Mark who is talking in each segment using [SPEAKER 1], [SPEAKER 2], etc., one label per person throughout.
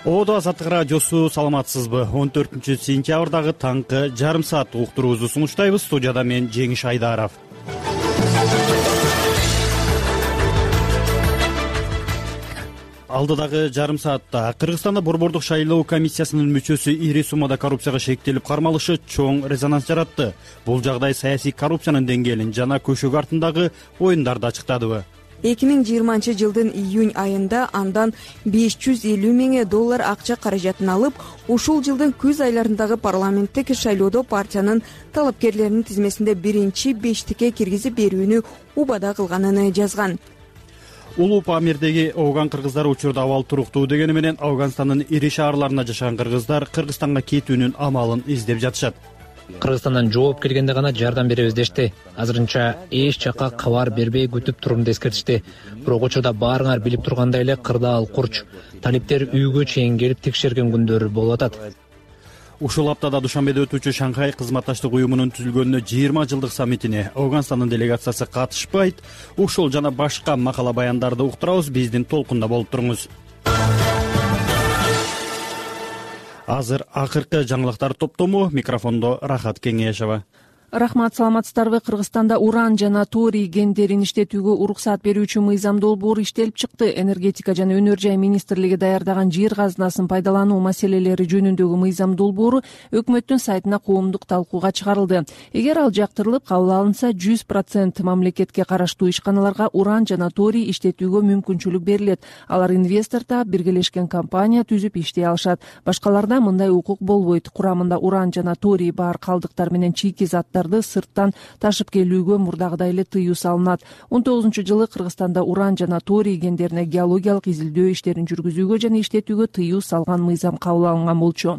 [SPEAKER 1] Оодо Азаттык радиосу, саламатсызбы? 14-сентябрдагы таңкы жарым сааттык уктуруубузду сунуштайбыз. Студияда мен Жеңиш Айдаров. Алдыдагы жарым саатта Кыргызстанда борбордук шайлоо комиссиясынын мүчөсү ири суммада коррупцияга шектелип кармалышы чоң резонанс жаратты. Бул жагдай саясий коррупциянын деңгээлин жана көшөгө артындагы оюндарды ачыктадыбы?
[SPEAKER 2] 2020-жылдын июнь айында андан $550 миң акча каражатын алып, ушул жылдын күз айларындагы парламенттик шайлоодо партиянын талапкерлеринин тизмесинде биринчи бештикке киргизип берүүнү убада кылганын жазган.
[SPEAKER 1] Улуу Памирдеги Ооган кыргыздары учурда абал туруктуу дегени менен Ауганстандын ири шаарларына жашаган кыргыздар Кыргызстанга кетүүнүн амалын издеп жатышат.
[SPEAKER 3] Кыргызстандан жооп келгенде гана жардам беребиз дешти. Азырынча эч жакка кабар бербей күтүп турумду эскертишти. Бирок учурда баарыңар билип тургандай эле кырдаал курч. Талиптер үйгө чейин келип текшерген күндөр болуп атат.
[SPEAKER 1] Ушул аптада Душанбеде өтүүчү Шанхай кызматташтык уюмунун түзүлгөнүнө 20 жылдык саммитине Ауганстандын делегациясы катышпайт. Ушул жана башка макала баяндарды уктурабыз. Биздин толкунда болуп туруңуз. Азыр акыркы жаңылыктар топтому. Микрофондо Рахат Кеңешова.
[SPEAKER 4] Рахмат, саламатсыздарбы? Кыргызстанда уран жана торий гендерин иштетүүгө уруксат берүүчү мыйзам долбоору иштелип чыкты. Энергетика жана өнөр жай министрлиги даярдаган жер казынасын пайдалануу маселелери жөнүндөгү мыйзам долбоору өкмөттүн сайтына коомдук талкууга чыгарылды. Эгер ал жактырылып кабыл алынса, 100% мамлекетке караштуу ишканаларга уран жана торий иштетүүгө мүмкүнчүлүк берилет. Алар инвестор таап, биргелешкен компания түзүп иштей алышат. Башкаларда мындай укук болбойт. Курамында уран жана торий бар калдыктар менен чийки заттар сырттан ташып келүүгө мурдагыдай эле тыюу салынат. 19-жылы Кыргызстанда уран жана торий гендерине геологиялык изилдөө иштерин жүргүзүүгө жана иштетүүгө тыюу салган мыйзам кабыл алынган болчу.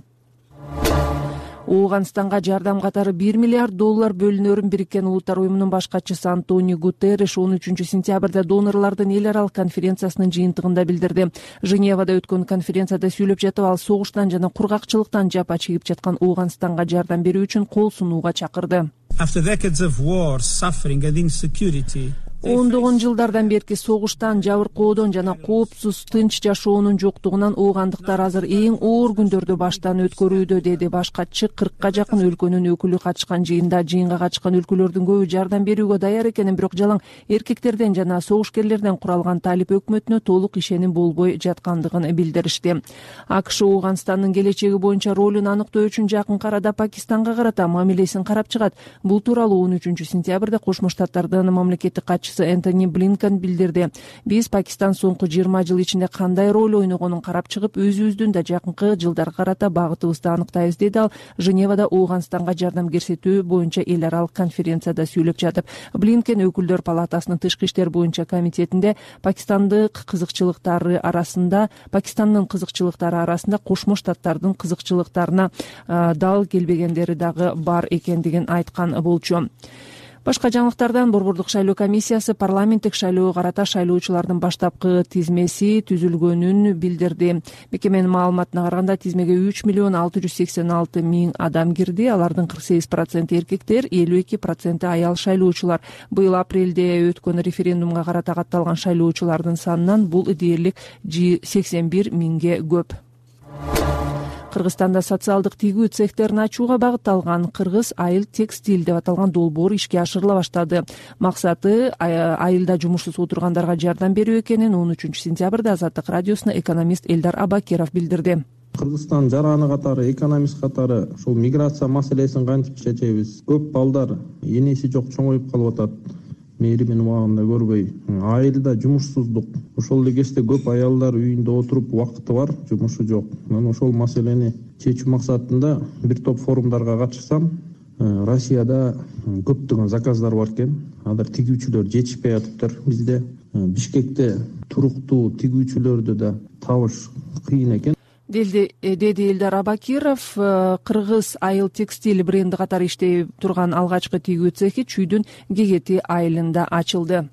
[SPEAKER 4] Ооганстанга жардам катары $1 миллиард бөлүнөрүн Бириккен Улуттар уюмунун баш катчысы Антонио Гутерриш 13-сентябрда донорлордун эл аралык конференциясынын жыйынтыгында билдирди. Женевада өткөн конференцияда сүйлөп жатып, ал согуштан жана кургакчылыктан жапа чегип жаткан Ооганстанга жардам берүү үчүн кол сунууга чакырды. Ондогон жылдардан берки согуштан, жабыркоодон жана коопсуз тынч жашоонун жоктугунан оогандыктар азыр эң оор күндөрдү баштан өткөрүүдө, деди баш катчы. 40-ка жакын өлкөнүн өкүлү катышкан жыйынга катышкан өлкөлөрдүн көбү жардам берүүгө даяр экенин, бирок жалаң эркектерден жана согушкерлерден куралган талип өкмөтүнө толук ишеним болбой жаткандыгын билдиришти. АКШ Ооганстандын келечеги боюнча ролун аныктоо үчүн жакынкы арада Пакистанга карата мамилесин карап чыгат. Бул тууралуу 13-сентябрда Кошмо Штаттардын мамлекеттик катчысы Энтони Блинкен билдирди. Биз Пакистан соңку 20 жыл ичинде кандай роль ойногонун карап чыгып, өзүбүздүн да жакынкы жылдарга карата багытыбызды аныктайбыз, деди ал Женевада Ооганстанга жардам көрсөтүү боюнча эл аралык конференцияда сүйлөп жатып. Блинкен Өкүлдөр палатасынын тышкы иштер боюнча комитетинде Пакистандын кызыкчылыктары арасында Кошмо Штаттардын кызыкчылыктарына дал келбегендери дагы бар экендигин айткан болчу. Башка жаңылыктардан борбордук шайлоо комиссиясы парламенттик шайлоого карата шайлоочулардын баштапкы тизмеси түзүлгөнүн билдирди. Мекеменин маалыматына караганда, тизмеге 3,686 миң адам кирди. Алардын 48% эркектер, 52% аял шайлоочулар. Быйыл апрелде өткөн референдумга карата катталган шайлоочулардын санынан бул дээрлик 81 миңге көп. Кыргызстанда социалдык тигүү цехтерин ачууга багытталган Кыргыз айыл текстиль деп аталган долбоор ишке ашырыла баштады. Максаты айылда жумушсуз отургандарга жардам берүү экенин 13-сентябрда Азаттык радиосуна экономист Элдар Абакиров билдирди.
[SPEAKER 5] Кыргызстан жараны катары, экономист катары ушул миграция маселесин кантип чечебиз? Көп балдар энеси жок чоңоюп калып атат. Мээримин убагында көрбөй, айылда жумушсуздук. Ошол эле кезде көп аялдар үйүндө отуруп, убакыты бар, жумушу жок. Мен ошол маселени чечүү максатында бир топ форумдарга катышсам, Россияда көптөгөн заказдар бар экен. Азыр тигүүчүлөр жетишпей атыптыр бизде. Бишкекте туруктуу тигүүчүлөрдү да табыш кыйын экен,
[SPEAKER 4] деди Элдар Абакиров. Кыргыз айыл текстиль бренди катары иштей турган алгачкы тигүү цехи Чүйдүн Гегети айылында ачылды.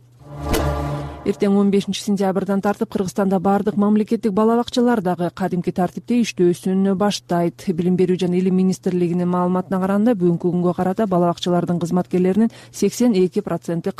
[SPEAKER 4] Эртең 15 сентябрдан тартып Кыргызстанда баардык мамлекеттик бала бакчалар дагы кадимки тартипте иштөөсүн баштайт. Билим берүү жана илим министрлигинин маалыматына караганда бүгүнкү күнгө карата бала бакчалардын кызматкерлеринин 82%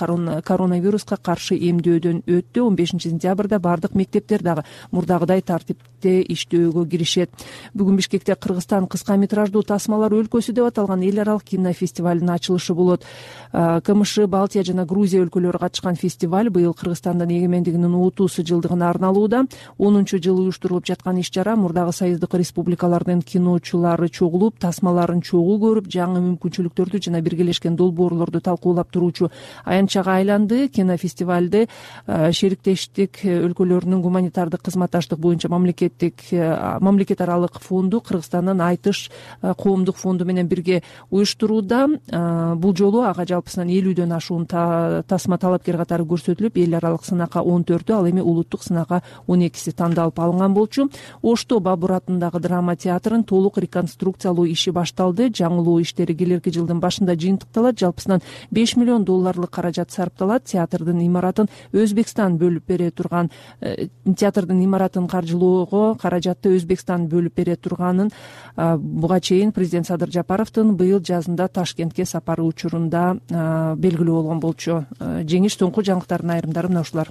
[SPEAKER 4] коронавируска каршы эмдөөдөн өттү. 15 сентябрда баардык мектептер дагы мурдагыдай тартипте иштөөгө киришет. Бүгүн Бишкекте Кыргызстан кыска метраждуу тасмалар өлкөсү деп аталган эл аралык кинофестивалынын ачылышы болот. КМШ, Балтия жана Грузия өлкөлөрү катышкан фестиваль быйыл Кыргызстандын эгемендигинин 30 жылдыгына арналууда. 10-жылы уюштурулуп жаткан иш-чара мурдагы союздук республикалардын киночулары чогулуп, тасмаларын чогуу көрүп, жаңы мүмкүнчүлүктөрдү жана биргелешкен долбоорлорду талкуулап туруучу аянтчага айланды. Кинофестивалды шериктештик өлкөлөрүнүн гуманитардык кызматташтык боюнча мамлекет аралык фонду, Кыргызстандын Айтыш коомдук фонду менен бирге уюштурууда. Бул жолу ага жалпысынан 50дөн ашуун тасма талапкер катары көрсөтүлүп, эл аралык сынакка 14, ал эми улуттук сынакка 12 тандалып алынган болчу. Ошто Бабур атындагы драма театрын толук реконструкциялоо иши башталды. Жаңылоо иштери келерки жылдын башында жыйынтыкталат. Жалпысынан $5 миллион каражат сарпталат. Театрдын имаратын Өзбекстан бөлүп бере турган, театрдын имаратын каржылоого каражатты Өзбекстан бөлүп бере турганын буга чейин президент Садыр Жапаровдун быйыл жазында Ташкентке сапары учурунда белгилүү болгон болчу. Жеңиш соңку жаңылыктардын айрымдары мына ушулар.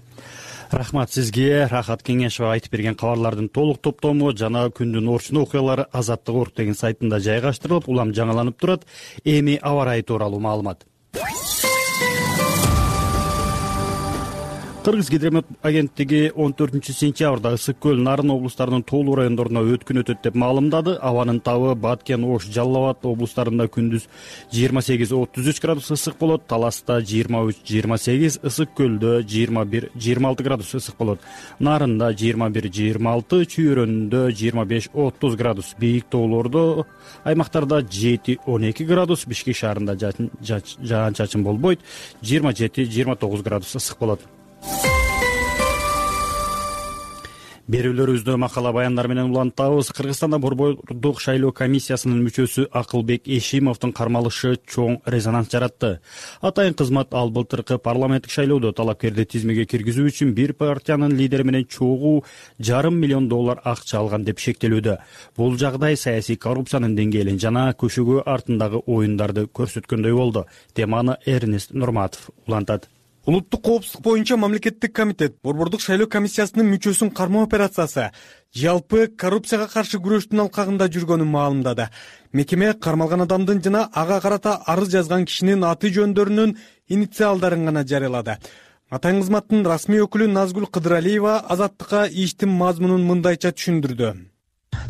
[SPEAKER 1] Рахмат сизге. Рахат Кеңешова айтып берген кабарлардын толук топтому жана күндүн орчун окуялары Азаттык.org деген сайтында жайгаштырылып, улам жаңыланып турат. Эми аба ырайы тууралуу маалымат. Кыргыз гидромет агенттиги 14-сентябрда Ысык көл, Нарын облустарынын тоолуу райондоруна өткүн өтөт деп маалымдады. Абанын табы Баткен, Ош, Жалал Абад облустарында күндүз 28-33 градус ысык болот, Таласта 23-28, Ысык көлдө 21-26 градус ысык болот, Нарында 21-26, Чүйөрөндө 25-30 градус, бийик тоолордо аймактарда 7-12 градус, Бишкек шаарында жаан-чачын болбойт, 27-29 градус ысык болот. Берүүлөрүбүздө макала баяндар менен улантабыз. Кыргызстанда борбордук шайлоо комиссиясынын мүчөсү Акылбек Эшимовдун кармалышы чоң резонанс жаратты. Атайын кызмат ал былтыркы парламенттик шайлоодо талапкерди тизмеге киргизүү үчүн бир партиянын лидери менен чогуу $500 миллион акча алган деп шектелүүдө. Бул жагдай саясий коррупциянын деңгээлин жана көшөгө артындагы оюндарды көрсөткөндөй болду. Теманы Эрнест Нурматов улантат.
[SPEAKER 6] Улуттук коопсуздук боюнча мамлекеттик комитет борбордук шайлоо комиссиясынын мүчөсүн кармоо операциясы жалпы коррупцияга каршы күрөштүн алкагында жүргөнүн маалымдады. Мекеме кармалган адамдын жана ага карата арыз жазган кишинин аты жөндөрүнүн инициалдарын гана жарыялады. Атайын кызматтын расмий өкүлү Назгүл Кыдыралиева Азаттыкка иштин мазмунун мындайча түшүндүрдү.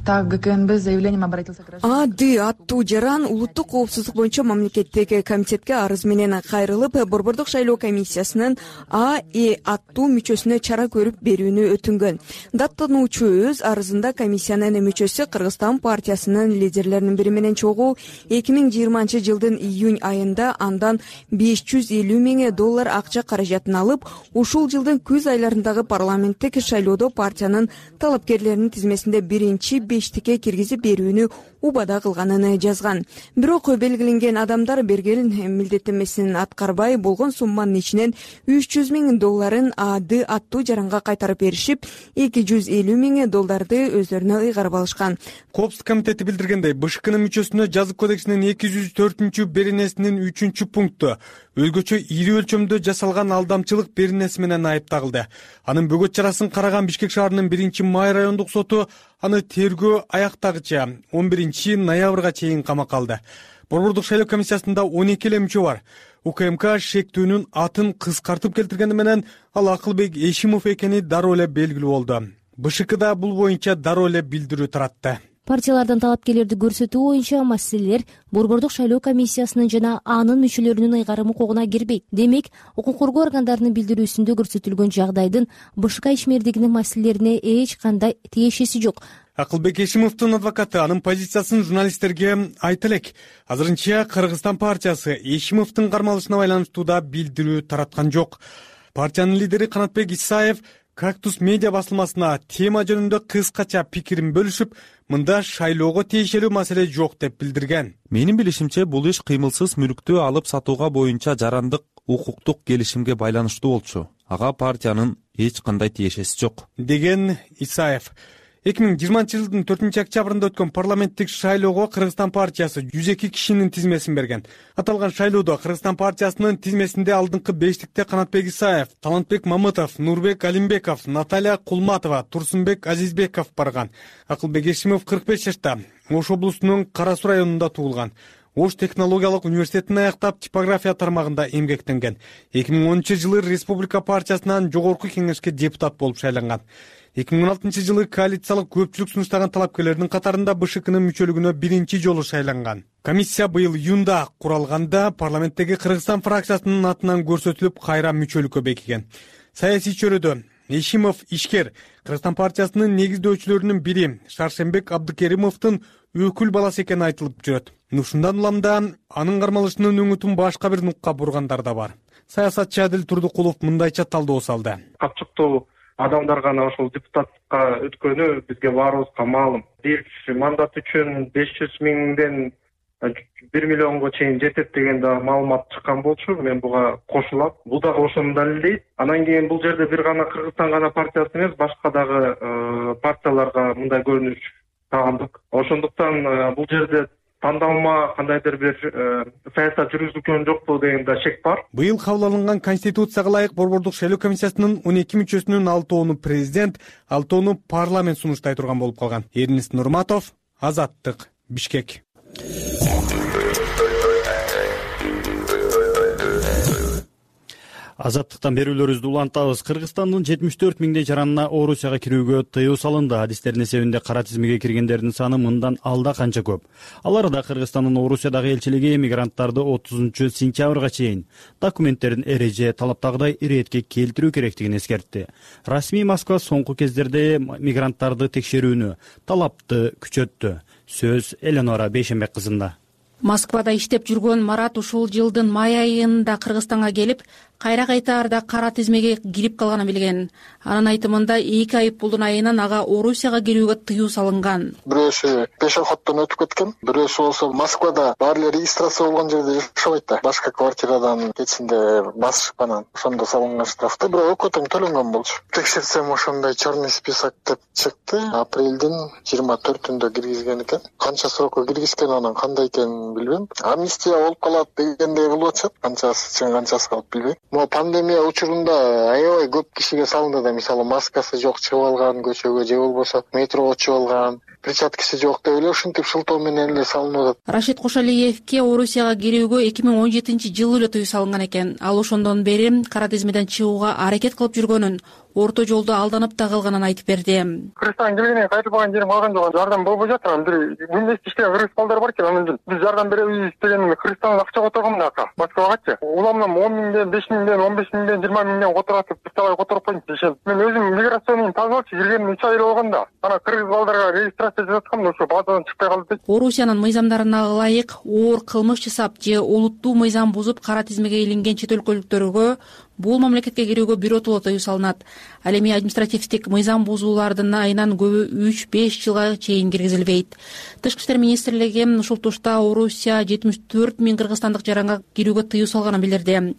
[SPEAKER 7] Так, ГКНБ заявлением обратился к
[SPEAKER 2] аттуу жаран улуттук коопсуздук боюнча мамлекеттик комитетке арыз менен кайрылып, борбордук шайлоо комиссиясынын аттуу мүчөсүнө чара көрүп берүүнү өтүнгөн. Даттануучу өз арызында комиссиянын мүчөсү Кыргызстан партиясынын лидерлеринин бири менен чогуу 2020 жылдын июнь айында андан $550 миң акча каражатын алып, ушул жылдын күз айларындагы парламенттик шайлоодо партиянын талапкерлеринин тизмесинде биринчи бештикке киргизип берүүнү убада кылганын жазган. Бирок белгиленген адамдар берген милдеттенмесин аткарбай, болгон сумманын ичинен $300 миң аттуу жаранга кайтарып беришип, $250 миң өздөрүнө ыйгарып алышкан.
[SPEAKER 6] Коопсуздук комитети билдиргендей, БШКнын мүчөсүнө жазык кодексинин 204 беренесинин 3 пункту өзгөчө ири өлчөмдө жасалган алдамчылык беренеси менен айыпталды. Анын бөгөт чарасын караган Бишкек шаарынын 1-май райондук соту аны тергөө аяктагыча 11-ноябрга чейин камакка алды. Борбордук шайлоо комиссиясында 12 эле мүчө бар. УКМК шектүүнүн атын кыскартып келтиргени менен ал Акылбек Эшимов экени дароо эле белгилүү болду. БШКда бул боюнча дароо эле билдирүү таратты.
[SPEAKER 8] Партиялардан талапкерлерди көрсөтүү боюнча маселелер борбордук шайлоо комиссиясынын жана анын мүчөлөрүнүн ыйгарым укугуна кирбейт. Демек, укук коргоо органдарынын билдирүүсүндө көрсөтүлгөн жагдайдын БШК ишмердигинин маселелерине эч кандай тиешеси жок.
[SPEAKER 6] Акылбек Эшимовдун адвокаты анын позициясын журналисттерге айта элек. Азырынча Кыргызстан партиясы Эшимовдун кармалышына байланыштуу да билдирүү тараткан жок. Партиянын лидери Канатбек Исаев Кактус медиа басылмасына тема жөнүндө кыскача пикирин бөлүшүп, мында шайлоого тиешелүү маселе жок деп билдирген.
[SPEAKER 9] Менин билишимче, бул иш кыймылсыз мүлктү алып сатууга боюнча жарандык укуктук келишимге байланыштуу болчу. ага партиянын эч кандай тиешеси жок,
[SPEAKER 6] деген Исаев. 2020-жылдын 4-октябрында өткөн парламенттик шайлоого Кыргызстан партиясы 102 кишинин тизмесин берген. Аталган шайлоодо Кыргызстан партиясынын тизмесинде алдыңкы бештикте Канатбек Исаев, Талантбек Мамытов, Нурбек Алимбеков, Наталья Кулматова, Турсунбек Азизбеков барган. Акылбек Эшимов 45 жашта, Ош облусунун Кара Суу районунда туулган. Ош технологиялык университетин аяктап, типография тармагында эмгектенген. 2010-жылы Республика партиясынан жогорку кеңешке депутат болуп шайланган. 2016-жылы коалициялык көпчүлүк сунуштаган талапкерлердин катарында БШКнын мүчөлүгүнө биринчи жолу шайланган. Комиссия быйыл июнда куралганда парламенттеги Кыргызстан фракциясынын атынан көрсөтүлүп, кайра мүчөлүккө бекиген. Саясий чөйрөдө Эшимов ишкер, Кыргызстан партиясынын негиздөөчүлөрүнүн бири Шаршембек Абдыкеримовдун өкүл баласы экени айтылып жүрөт. Ушундан улам да анын кармалышынын өңүтүн башка бир нукка бургандар да бар. Саясатчы Адил Турдукулов мындайча талдоо салды.
[SPEAKER 10] Капчыктуу адамдар гана ошол депутаттыкка өткөнү бизге баарыбызга маалым. Бир мандат үчүн 500 миңден 1 миллионго чейин жетет деген да маалымат чыккан болчу. Мен буга кошулам. Бул дагы ошону далилдейт. Анан кийин бул жерде бир гана Кыргызстан гана партиясы эмес, башка дагы партияларга мындай көрүнүш тагындык. Ошондуктан бул жерде тандалма кандайдыр бир саясат жүргүзүлгөн жокпу деген да шек бар.
[SPEAKER 6] Быйыл кабыл алынган Конституцияга ылайык Борбордук шайлоо комиссиясынын 12 мүчөсүнүн 6-ону президент, 6-ону парламент сунуштай турган болуп калган. Эрнис Нурматов, Азаттык, Бишкек.
[SPEAKER 1] Азаттыктан берүүлөрүбүздү улантабыз. Кыргызстандын 74 миңдей жаранына Орусияга кирүүгө тыюу салынды. Адистердин эсебинде кара тизмеге киргендердин саны мындан алда канча көп. Алар да Кыргызстандын Орусиядагы элчилиги мигранттарды 30-сентябрга чейин документтерин эреже талаптагыдай иретке келтирүү керектигин эскертти. Расмий Москва соңку кездерде мигранттарды текшерүүнү талапты күчөттү. Сөз Эленора Бейшембек кызында.
[SPEAKER 11] Москвада иштеп жүргөн Марат ушул жылдын май айында Кыргызстанга келип, кайра кайтаарда кара тизмеге кирип калганын билген. Анын айтымында 2 айыппулдун айынан ага Орусияга кирүүгө тыюу салынган.
[SPEAKER 12] Бирөөсү пешоходдон өтүп кеткен, бирөөсү болсо Москвада баары эле регистрация болгон жерде жашабайт да. Башка квартирадан кетсинде басышып анан ошондо салынган штрафты, бирок өкө тең төлөнгөн болчу. Текшерсем ошондой черный список деп чыкты. Апрелдин 24-түндө киргизген экен. Канча срокко киргизген, анан кандай экенин билбейм. Амнистия болуп калат дегендей кылып атышат. Канчасы чын, канчасы калып билбейм. Могу пандемия учурунда аябай көп кишиге салынды да, мисалы маскасы жок чыгып алган көчөгө, же болбосо метрого чыгып алган, перчаткасы жок деп эле ушинтип шылтоо менен эле салынып атат.
[SPEAKER 11] Рашид Кошалиевке Орусияга кирүүгө 2017-жылы эле тыюу салынган экен. Ал ошондон бери кара тизмеден чыгууга аракет кылып жүргөнүн, орто жолдо алданып да калганын айтып берди.
[SPEAKER 13] Кыргызстанга келгенен кайтылбаган жерим калган жок. Жардам болбой жатыр. Бир университетте иштеген кыргыз балдар бар экен, анан биз жардам беребиз дегенде Кыргызстандан акча которгом ака. Москвагачы. Уламдан 10 миңден, 5 миңден, 15 миңден, 20 миңден которатып, биртабай которуп коюн дешем. Мен өзүм миграциянын тазалыкчы киргениме 3 ай болгон да. Анан кыргыз балдарга регистрация жасаткам да ошо базадан чыкпай калды дейт.
[SPEAKER 11] Орусиянын мыйзамдарына ылайык оор кылмыш жасап же улуттуу мыйзам бузуп кара тизмеге илинген чет өлкөлүктөргө бул мамлекетке кирүүгө биротоло тыюу салынат. Ал эми административдик мыйзам бузуулардын айынан көбү 3-5 жылга чейин киргизилбейт. Тышкы иштер министрлиги ушул тушта Орусия 74 миң кыргызстандык жаранга кирүүгө тыюу салганын билдирди.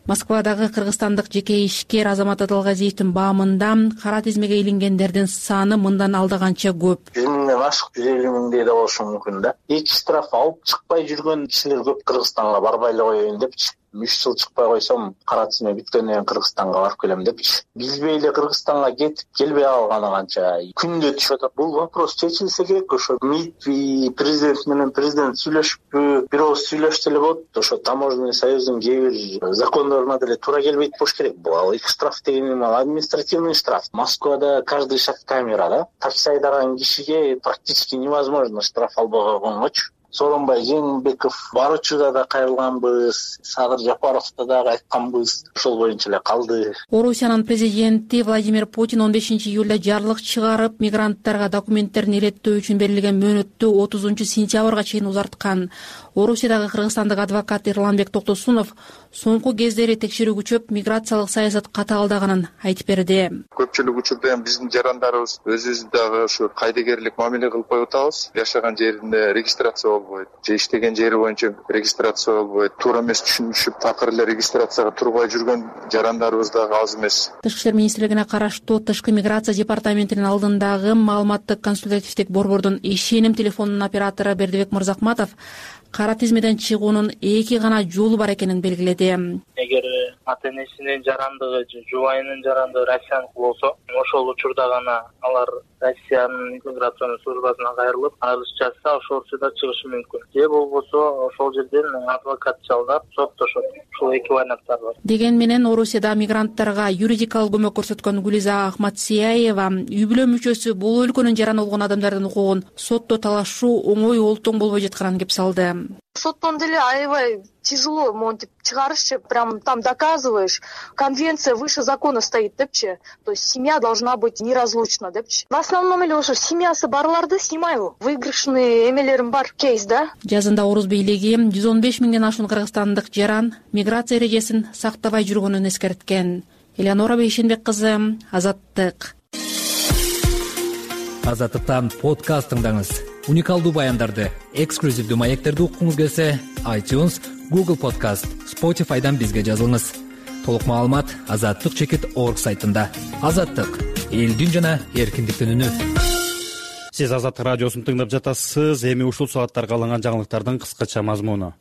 [SPEAKER 11] Москвадагы кыргызстандык жеке ишкер Азамат Адалгазиевдин баамында кара тизмеге илингендердин саны мындан алда канча көп.
[SPEAKER 14] 100 миңден ашык, 150 миңдей да болушу мүмкүн да. 2 штраф алып чыкпай жүргөн кишилер көп. Кыргызстанга барбай эле коеюн депчи. 3 жыл чыкпай койсом, кара тизме биткенден Кыргызстанга барып келем депчи. Билбей эле Кыргызстанга кетип, келбей алганы канча. Күндө түшүп атат. Бул вопрос чечилсе керек. Ошо МИД президент менен президент сүйлөшүппү, бир ооз сүйлөштү эле болот. Ошо таможенный союздун кээ бир закондоруна деле туура келбейт болуш керек. Бул 2 штраф деген административный штраф. Москвада каждый шаг камера да. Такси айдаган кишиге практически невозможно штраф албай койгонгочу. Сооронбай Жээнбеков баруучуда да кайрылганбыз, Садыр Жапаровда да айтканбыз, ошол боюнча эле калды.
[SPEAKER 11] Орусиянын президенти Владимир Путин 15-июлда жарлык чыгарып, мигранттарга документтерин илеттөө үчүн берилген мөөнөттү 30-сентябрга чейин узарткан. Орусиядагы кыргызстандык адвокат Эрланбек Токтосунов соңку кездери текшерүү күчөп, миграциялык саясат катаалдаганын айтып берди.
[SPEAKER 15] Көпчүлүк учурда эми биздин жарандарыбыз өзүбүздү дагы ушу кайдыгерлик мамиле кылып коюп атабыз. Жашаган жеринде регистрация болбойт же иштеген жери боюнча регистрация болбойт, туура эмес түшүнүшүп такыр эле регистрацияга турбай жүргөн жарандарыбыз дагы аз эмес.
[SPEAKER 11] Тышкы иштер министрлигине караштуу Тышкы миграция департаментинин алдындагы маалыматтык консультативдик борбордун ишеним телефонунун оператору Бердибек Мырзакматов кара тизмеден чыгуунун эки гана жолу бар экенин белгиледи.
[SPEAKER 16] Эгер ата энесинин жарандыгы же жубайынын жарандыгы россияныкы болсо, ошол учурда гана алар Россиянын миграционный службасына кайрылып, арыз жазса, ошол учурда чыгышы мүмкүн. Же болбосо ошол жерден адвокат жалдап соттошот. Ушул эки варианттар бар.
[SPEAKER 11] Деген менен Орусияда мигранттарга юридикалык көмөк көрсөткөн Гүлиза Ахматсияева үй бүлө мүчөсү бул өлкөнүн жараны болгон адамдардын укугун сотто талашуу оңой олтоң болбой жатканын кеп салды.
[SPEAKER 17] Соттон деле аябай тяжело монтип чыгарышчы, прям там доказываешь. Конвенция выше закона стоит депчи. То есть семья должна быть неразлучна депчи. В основном эле ошо семьясы барларды снимаю. Выигрышный эмелерим бар кейс, да?
[SPEAKER 11] Жазында Орус бийлиги 115 миңден ашуун кыргызстандык жаран миграция эрежесин сактабай жүргөнүн эскерткен. Элеонора Бейшенбек кызы, Азаттык.
[SPEAKER 3] Азаттыктан подкаст тыңдаңыз. Уникалдуу баяндарды, эксклюзивдүү маектерди уккуңуз келсе, iTunes, Google Podcast, Spotify'дан бизге жазылыңыз. Толук маалымат azattyk.org сайтында. Азаттык — элдин жана эркиндиктин үнү.
[SPEAKER 1] Сиз Азаттык радиосун тыңдап жатасыз. Эми ушул сааттарга алынган жаңылыктардын кыскача мазмуну.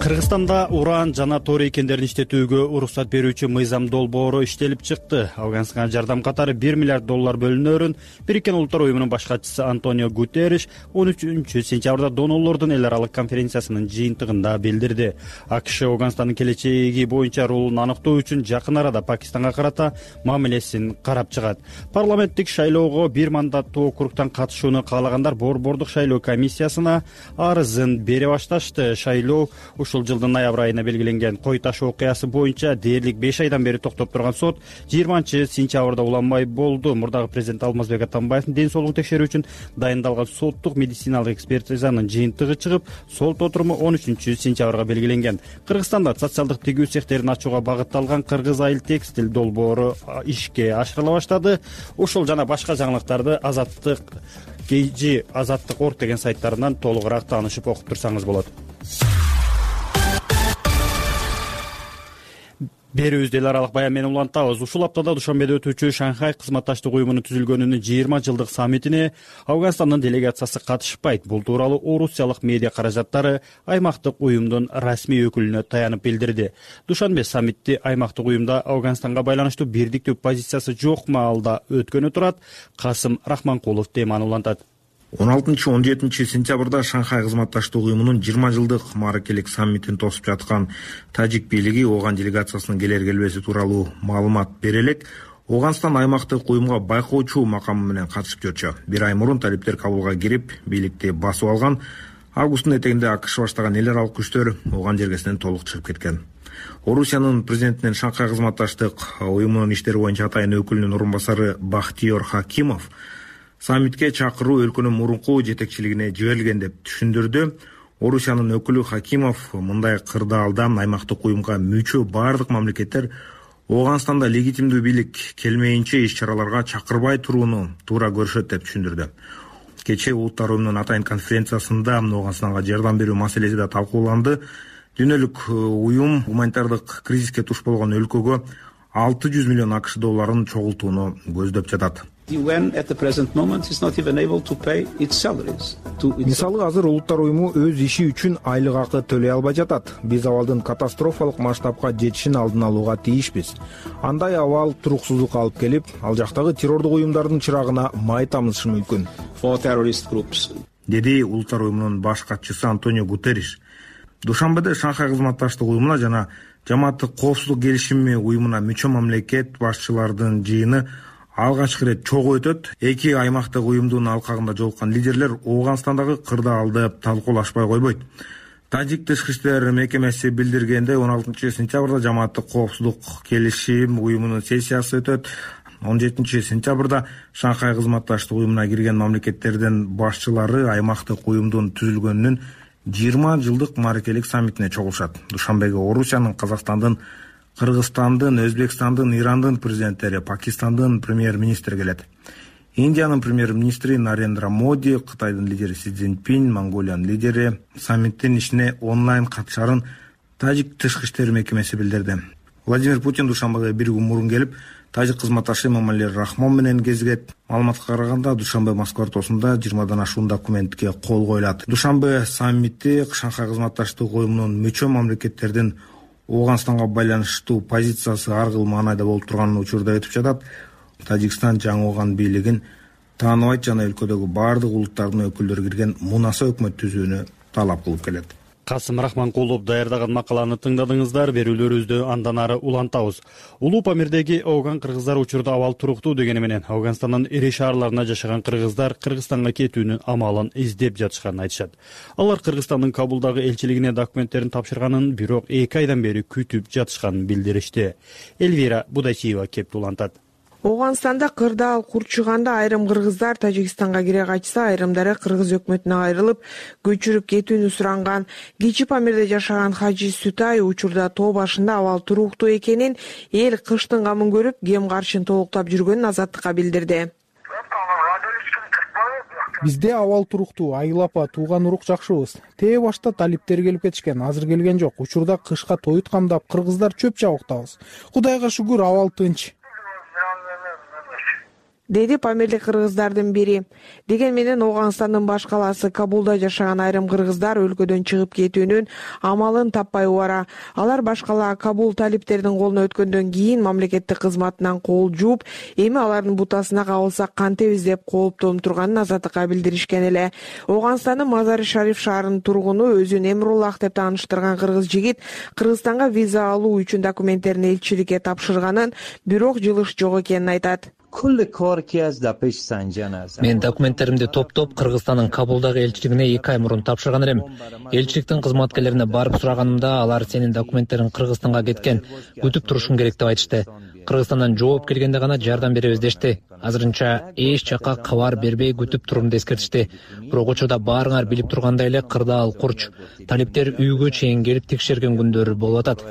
[SPEAKER 1] Кыргызстанда уран жана торий кендерин иштетүүгө уруксат берүүчү мыйзам долбоору иштелип чыкты. Афганстанга жардам катары $1 миллиард бөлүнөрүн Бириккен Улуттар уюмунун баш катчысы Антонио Гутерриш 13-сентябрда донорлордун эл аралык конференциясынын жыйынтыгында билдирди. АКШ Афганстандын келечеги боюнча ролун аныктоо үчүн жакын арада Пакистанга карата мамилесин карап чыгат. Парламенттик шайлоого бир мандаттуу округтан катышууну каалагандар борбордук шайлоо комиссиясына арызын бере башташты. Шайлоо ушул жылдын ноябрь айына белгиленген. Кой таш окуясы боюнча дээрлик 5 айдан бери токтоп турган сот 20-сентябрда уланбай болду. Мурдагы президент Алмазбек Атамбаевдин ден соолугун текшерүү үчүн дайындалган соттук медициналык экспертизанын жыйынтыгы чыгып, сот отуруму 13-сентябрга белгиленген. Кыргызстанда социалдык тигүү цехтерин ачууга багытталган Кыргыз айыл текстиль долбоору ишке ашырыла баштады. Ушул жана башка жаңылыктарды Азаттык KG Азаттык.org деген сайттарынан толугураак таанышып окуп турсаңыз болот. Берүүбүздү эл аралык баян менен улантабыз. Ушул аптада Душанбеде өтүүчү Шанхай кызматташтык уюмунун түзүлгөнүнүн 20 жылдык саммитине Афганстандын делегациясы катышпайт. Бул тууралуу орусиялык медиа каражаттары аймактык уюмдун расмий өкүлүнө таянып билдирди. Душанбе саммитти аймактык уюмда Афганстанга байланыштуу бирдиктүү позициясы жок маалда өткөнү турат. Касым Рахманкулов теманы улантат.
[SPEAKER 18] 16-17 сентябрда Шанхай кызматташтык уюмунун 20 жылдык мааракелик саммитин тосуп жаткан тажик бийлиги Ооган делегациясынын келер-келбеси тууралуу маалымат бере элек, Афганстан аймактык уюмга байкоочу макамы менен катышып жүрчү. Бир ай мурун талиптер Кабулга кирип, бийликти басып алган. Августтун этегинде АКШ баштаган эл аралык күчтөр Ооган жергесинен толук чыгып кеткен. Орусиянын президентинин Шанхай кызматташтык уюмунун иштери боюнча атайын өкүлүнүн орун басары Бахтиёр Хакимов саммитке чакыруу өлкөнүн мурунку жетекчилигине жиберилген деп түшүндүрдү. Орусиянын өкүлү Хакимов мындай кырдаалда аймактык уюмга мүчө бардык мамлекеттер Афганстанда легитимдүү бийлик келмейинче иш-чараларга чакырбай турууну туура көрүшөт деп түшүндүрдү. Кечээ Улуттар уюмунун атайын конференциясында Афганстанга жардам берүү маселеси да талкууланды. Дүйнөлүк уюм гуманитардык кризиске туш болгон өлкөгө $600 миллион долларын чогултууну көздөп жатат. Мисалы азыр Улуттар уюму өз иши үчүн айлык акы төлөй албай жатат. Биз абалдын катастрофалык масштабка жетишин алдын алууга тийишпиз. Андай абал туруксуздукка алып келип, ал жактагы террордук уюмдардын чырагына май тамызышы мүмкүн, деди Улуттар уюмунун баш катчысы Антонио Гутерриш. Душанбеде Шанхай кызматташтык уюмуна жана Жамааттык коопсуздук келишими уюмуна мүчө мамлекет башчылардын жыйыны алгачкы ирет чогуу өтөт. Эки аймактык уюмдун алкагында жолуккан лидерлер Афганстандагы кырдаалды талкуулашпай койбойт. Тажик тышкы иштер мекемеси билдиргендей, 16 сентябрда Жамааттык коопсуздук келишим уюмунун сессиясы өтөт. 17 сентябрда Шанхай кызматташтык уюмуна кирген мамлекеттердин башчылары аймактык уюмдун түзүлгөнүнүн 20 жылдык мааракелик саммитине чогулушат. Душанбеге Орусиянын, Казакстандын, Кыргызстандын, Өзбекстандын, Ирандын президенттери, Пакистандын премьер-министри келет. Индиянын премьер-министри Нарендра Моди, Кытайдын лидери Си Цзиньпин, Монголиянын лидери саммиттин ишине онлайн катышарын Тажик тышкы иштер мекемеси билдирди. Владимир Путин Душанбеге бир күн мурун келип, тажик кызматташы Эмомали Рахмон менен кезигет. Маалыматка караганда, Душанбе-Москва ортосунда 20дан ашуун документке кол коюлат. Душанбе саммити Шанхай кызматташтык уюмунун мүчө мамлекеттердин Ооганстанга байланыштуу позициясы ар кыл маанайда болуп турганын учурда өтүп жатат. Тажикстан жаңы ооган бийлигин тааныбайт жана өлкөдөгү баардык улуттардын өкүлдөрү кирген мунаса өкмөт түзүүнү талап кылып келет.
[SPEAKER 1] Касым Рахманкулов даярдаган макаланы тыңдадыңыздар. Берүүлөрүбүздү андан ары улантабыз. Улуу Памирдеги ооган кыргыздар учурда абал туруктуу дегени менен Афганстандын ири шаарларында жашаган кыргыздар Кыргызстанга кетүүнүн амалын издеп жатышканын айтышат. Алар Кыргызстандын Кабулдагы элчилигине документтерин тапшырганын, бирок 2 айдан бери күтүп жатышканын билдиришти. Эльвира Будачиева кеп улантат.
[SPEAKER 19] Ооганстанда кырдаал курчуганда айрым кыргыздар Тажикстанга кире качса, айрымдары кыргыз өкмөтүнө айрылып, көчүрүп кетүүнү суранган. Кичи Памирде жашаган Хажи Сутай учурда тоо башында абал туруктуу экенин, эл кыштын камын көрүп, кем каршын толуктап жүргөнүн Азаттыкка билдирди.
[SPEAKER 20] Бизде абал туруктуу, айыл апа, тууган урук жакшыбыз. Тээ башта талиптер келип кетишкен, азыр келген жок. Учурда кышка тоют камдап, кыргыздар чөп жабыктабыз. Кудайга шүгүр, абал тынч.
[SPEAKER 19] Деди Памирлик кыргыздардын бири. Деген менен Ооганстандын баш калаасы Кабулда жашаган айрым кыргыздар өлкөдөн чыгып кетүүнүн амалын таппай убара. Алар баш кала Кабул талиптердин колуна өткөндөн кийин мамлекеттик кызматынан кол жууп, эми алардын бутасына кабылсак кантебиз деп кооптонуп турганын Азаттыкка билдиришкен эле. Ооганстандын Мазари-Шариф шаарынын тургуну өзүн Эмруллах деп тааныштырган кыргыз жигит Кыргызстанга виза алуу үчүн документтерин элчиликке тапшырганын, бирок жылыш жок экенин айтат.
[SPEAKER 3] Мен документтеримди топтоп Кыргызстандын Кабулдагы элчилигине 2 ай мурун тапшырган элем. Элчиликтин кызматкерлерине барып сураганымда, алар сенин документтериң Кыргызстанга кеткен, күтүп турушуң керек деп айтышты. Кыргызстандан жооп келгенде гана жардам беребиз дешти. Азырынча эч жакка кабар бербей күтүп турумду эскертишти. Бирок учурда баарыңар билип тургандай эле кырдаал курч. Талиптер үйгө чейин келип текшерген күндөр болуп атат.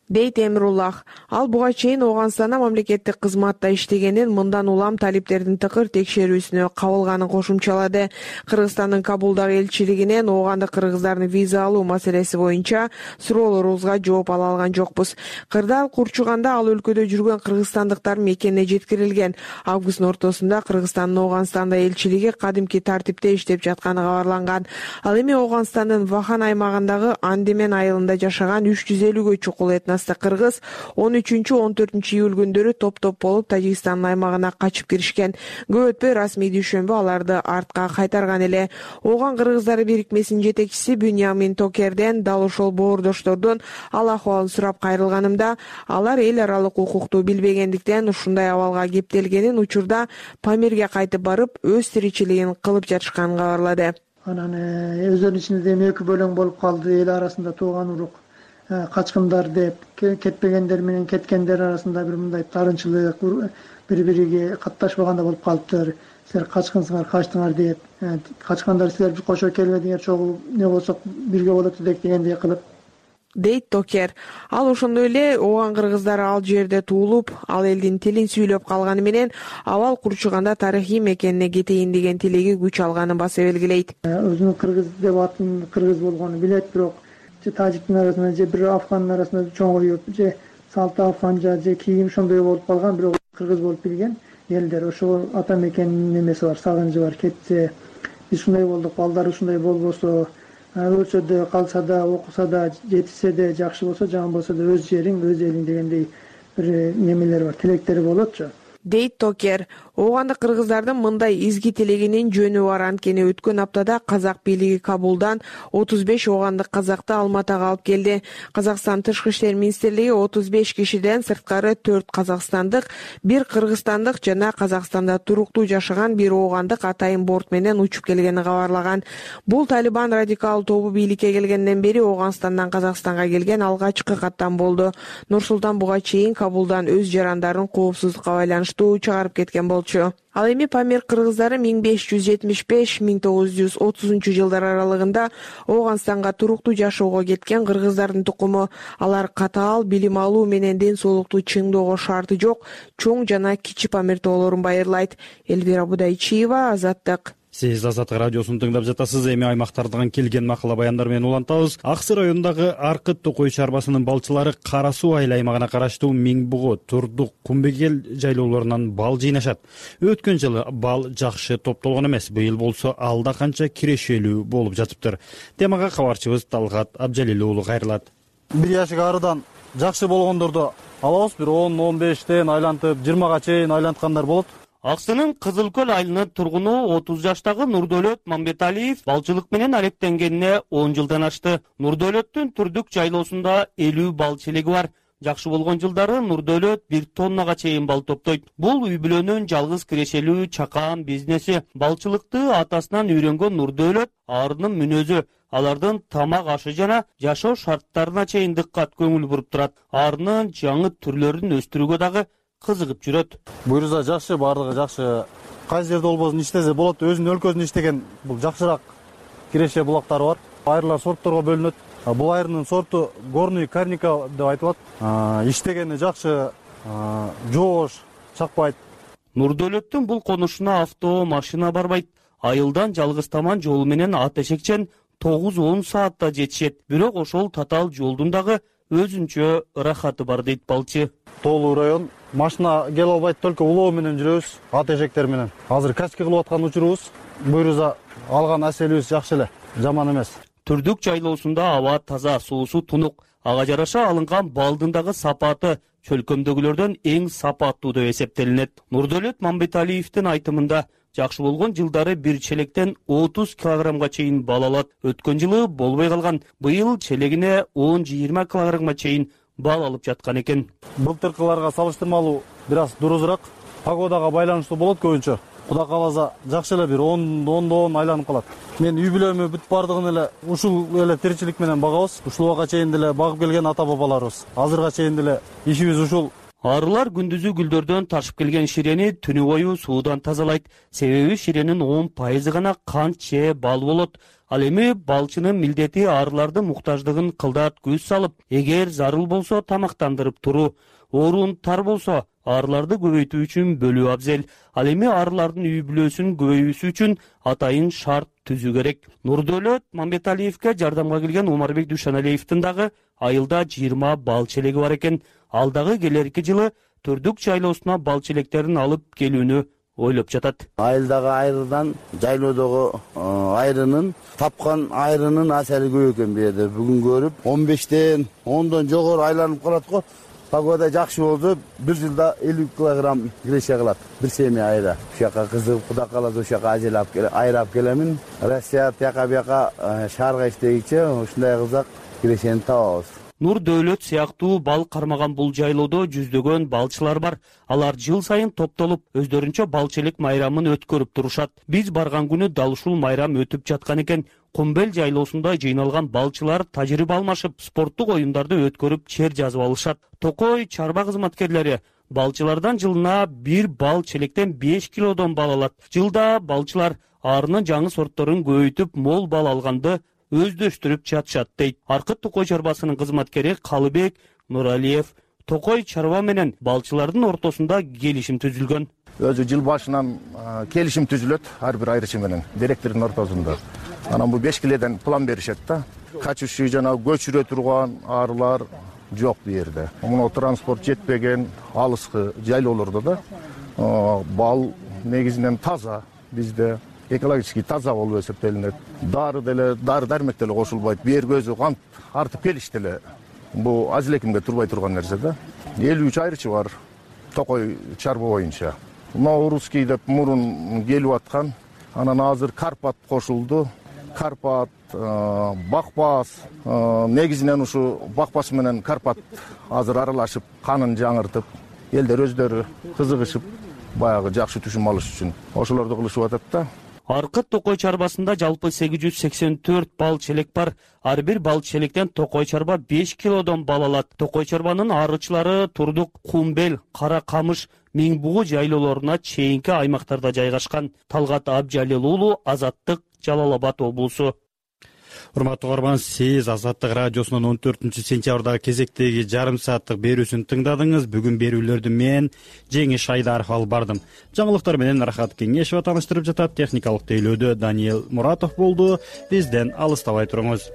[SPEAKER 19] Дейт Эмруллах. Ал буга чейин Ооганстанда мамлекеттик кызматта иштегенин, мындан улам талиптердин тыкыр текшерүүсүнө кабылганын кошумчалады. Кыргызстандын Кабулдагы элчилигинен оогандык кыргыздардын виза алуу маселеси боюнча суроолорубузга жооп ала алган жокпуз. Кырдаал курчуганда ал өлкөдө жүргөн кыргызстандыктар мекенине жеткирилген. Августтун ортосунда Кыргызстандын Ооганстанда элчилиги кадимки тартипте иштеп жатканы кабарланган. Ал эми Ооганстандын Вахан аймагындагы Андемен айылында жашаган 350гө чукул этностук кыргыз 13-14 июль күндөрү топ-топ болуп Тажикстандын аймагына качып киришкен. Көп өтпөй расмий дүйшөмбү аларды артка кайтарган эле. Ооган кыргыздары бирикмесинин жетекчиси Бюньямин Токерден дал ошол боордоштордун ал акыбалын сурап кайрылганымда, алар эл аралык укукту билбегендиктен ушундай абалга кептелгенин, учурда Памирге кайтып барып, өз тиричилигин кылып жатышканын кабарлады.
[SPEAKER 21] Анан өздөрүнүн ичинде эми 2 бөлөң болуп калды, эл арасында тууган урук, качкындар деп, кетпегендер менен кеткендер арасында бир мындай тарынчылык, бири-бириге катташпаганда болуп калыптыр. Силер качкынсыңар, качтыңар деп, качкандар силер кошо келбедиңер, чогуу не болсок бирге болот элек дегендей кылып.
[SPEAKER 19] Дейт Токер. Ал ошондой эле ооган кыргыздары ал жерде туулуп, ал элдин тилин сүйлөп калганы менен абал курчуганда тарыхый мекенине кетейин деген тилеги күч алганын баса белгилейт.
[SPEAKER 21] Өзүнүн кыргыз деп атын кыргыз болгонун билет, бирок же тажиктин арасында же бир афгандын арасында чоңоюп, же салты афганча, же кийим ошондой болуп калган, бирок кыргыз болуп билген элдер. Ошол ата мекенинин немеси бар, сагынчы бар. Кетсе, биз ушундай болдук, балдар ушундай болбосо, өлсө да, калса да, окуса да, жетишсе да, жакшы болсо, жаман болсо да өз жериң, өз элиң дегендей бир немелер бар, тилектери болотчу.
[SPEAKER 19] Дейт Токер. Оогандык кыргыздардын мындай изги тилегинин жөнү бар. Анткени өткөн аптада казак бийлиги Кабулдан 35 оогандык казакты Алматага алып келди. Казакстан тышкы иштер министрлиги 35 кишиден сырткары 4 казакстандык, 1 кыргызстандык жана Казакстанда туруктуу жашаган 1 оогандык атайын борт менен учуп келгенин кабарлаган. Бул Талибан радикал тобу бийликке келгенден бери Ооганстандан Казакстанга келген алгачкы каттам болду. Нур-Султан буга чейин Кабулдан өз жарандарын коопсуздукка байланыштуу чыгарып кеткен болчу. балчу. Ал эми Памир кыргыздары 1575-1930 жылдар аралыгында Ооганстанга туруктуу жашоого кеткен кыргыздардын тукуму. Алар катаал билим алуу менен ден соолукту чыңдоого шарты жок чоң жана кичи Памир тоолорун байырлайт. Элвира Будайчиева, Азаттык.
[SPEAKER 1] Сиз Азаттык радиосун тыңдап жатасыз. Эми аймактардан келген макала баяндар менен улантабыз. Аксы районундагы Аркыт Токой чарбасынын балчылары Кара Суу айыл аймагына караштуу Миңбугу, Турдук, Кумбегел жайлоолорунан бал жыйнашат. Өткөн жылы бал жакшы топтолгон эмес. Быйыл болсо алда канча кирешелүү болуп жатыптыр. Темага кабарчыбыз Талгат Абжалил уулу кайрылат.
[SPEAKER 5] 1 жашка арыдан жакшы болгондорду алабыз. Бир 10-15тен айлантып 20га чейин айланткандар болот.
[SPEAKER 22] Аксынын Кызыл Көл айылынын тургуну 30 жаштагы Нурдөлөт Мамбеталиев балчылык менен алектенгенине 10 жылдан ашты. Нурдөлөттүн Түрдүк жайлоосунда 50 бал челеги бар. Жакшы болгон жылдары Нурдөлөт 1 тоннага чейин бал топтойт. Бул үй бүлөнүн жалгыз кирешелүү чакан бизнеси. Балчылыкты атасынан үйрөнгөн Нурдөлөт арынын мүнөзү, алардын тамак ашы жана жашоо шарттарына чейин дыккат көңүл буруп турат. Арынын жаңы түрлөрүн өстүрүүгө дагы кызыгып жүрөт.
[SPEAKER 5] Буюрса жакшы, бардыгы жакшы. Кайсы жерде болбосун иштесе болот. Өзүнүн өлкөсүндө иштеген бул жакшыраак киреше булактары бар. Айырлар сортторго бөлүнөт. Бул айрынын сорту горный карника деп айтылат. Иштегени жакшы, жоош, чакпайт.
[SPEAKER 22] Нурдөлөттүн бул конушуна авто, машина барбайт. Айылдан жалгыз таман жол менен ат эшекчен 9-10 саатта жетишет. Бирок ошол татаал жолдун дагы өзүнчө ырахаты бар дейт балчы.
[SPEAKER 5] Тоолуу район. Машина келе албайт, только улоо менен жүрөбүз, ат эшектер менен. Азыр качка кылып аткан учурубуз. Буюрса алган аселибиз жакшы эле, жаман эмес.
[SPEAKER 22] Түрдүк жайлоосунда аба таза, суусу тунук. Ага жараша алынган балдын дагы сапаты чөлкөмдөгүлөрдөн эң сапаттуу деп эсептелинет. Нурдөлөт Мамбеталиевдин айтымында жакшы болгон жылдары бир челектен 30 килограммга чейин бал алат. Өткөн жылы болбой калган. Быйыл челегине 10-20 килограммга чейин бал алып жаткан экен.
[SPEAKER 5] Былтыркыларга салыштырмалуу бир аз дурузураак. Погодага байланыштуу болот көбүнчө. Кудай кааласа жакшы эле бир 10 айланып калат. Мен үй бүлөмү бүт бардыгын эле ушул эле тиричилик менен багабыз. Ушул убакка чейин деле багып келген ата бабаларыбыз. Азырга чейин деле ишибиз ушул.
[SPEAKER 22] Арылар күндүзү гүлдөрдөн ташып келген ширени түнү бою суудан тазалайт. Себеби ширенин 10% гана кант же бал болот. Ал эми балчынын милдети арылардын муктаждыгын кылдат көз салып, эгер зарыл болсо тамактандырып туруу, орун тар болсо арыларды көбөйтүү үчүн бөлүү абзел. Ал эми арылардын үй бүлөсүнүн көбөйүүсү үчүн атайын шарт түзүү керек. Нурдөлөт Мамбеталиевге жардамга келген Умарбек Душаналиевдин дагы айылда 20 бал челеги бар экен. Ал дагы келерки жылы Түрдүк жайлоосуна бал челектерин алып келүүнү ойлоп жатат.
[SPEAKER 23] Айылдагы айрыдан жайлоодогу айрынын тапкан айрынын асары көп экен бу жерде. Бүгүн көрүп 15тен 10дон жогору айланып калат го. Погода жакшы болду. Бир жылда 50 килограмм киреше кылат. Бир семья айра. Ушака кызыгып Кудай кааласа ушака ажелап айрап келемин. Россия тияка бияка шаарга иштегиче ушундай кылсак кирешени табабыз.
[SPEAKER 22] Нурдөлөт сыяктуу бал кармаган бул жайлоодо жүздөгөн балчылар бар. Алар жыл сайын топтолуп, өздөрүнчө бал челек майрамын өткөрүп турушат. Биз барган күнү дал ушул майрам өтүп жаткан экен. Кумбел жайлоосунда жыйналган балчылар тажрыйба алмашып, спорттук оюндарды өткөрүп, чер жазып алышат. Токой чарба кызматкерлери балчылардан жылына 1 бал челектен 5 килодон бал алат. Жылда балчылар арынын жаңы сортторун көбөйтүп, мол бал алганды өздөштүрүп жатышат дейт. Аркыт Токой чарбасынын кызматкери Калыбек Нуралиев. Токой чарба менен балчылардын ортосунда келишим түзүлгөн.
[SPEAKER 24] Өзү жыл башынан келишим түзүлөт ар бир айрычы менен директордун ортосунда. Анан бу 5 киледен план беришет да. Качуучу жана көчүрө турган арылар жок бу жерде. Муну транспорт жетпеген алыскы жайлоолордо да бал негизинен таза бизде экологически таза болуп эсептелинет. Дары дармек деле кошулбайт. Бер көзү кант артып келишти эле. Бу аз элекимге турбай турган нерсе да. 53 айрычы бар Токой чарба боюнча. Наурузкий деп мурун келип аткан. Анан азыр Карпат кошулду. Карпат, Бакбас, негизинен ушу Бакбас менен Карпат азыр аралашып, канын жаңыртып, элдер өздөрү кызыгышып, баягы жакшы түшүм алыш үчүн ошолорду кылышып атат да.
[SPEAKER 22] Аркыт токой чарбасында жалпы 884 бал челек бар. Ар бир бал челектен токой чарба 5 килодон бал алат. Токой чарбанын арычылары Турдук, Кумбел, Кара Камыш, Миңбугу жайлоолоруна чейинки аймактарда жайгашкан. Талгат Абжалил уулу, Азаттык, Жалал Абад облусу.
[SPEAKER 1] Урматтуу угарман, сиз Азаттык радиосунун 14-сентябрдагы кезектеги жарым сааттык берүүсүн тыңдадыңыз. Бүгүн берүүлөрдү мен Жеңиш Айдаров алып бардым. Жаңылыктар менен Рахат Кеңешова тааныштырып жатат. Техникалык тейлөөдө Даниэл Муратов болду. Бизден алыстабай туруңуз.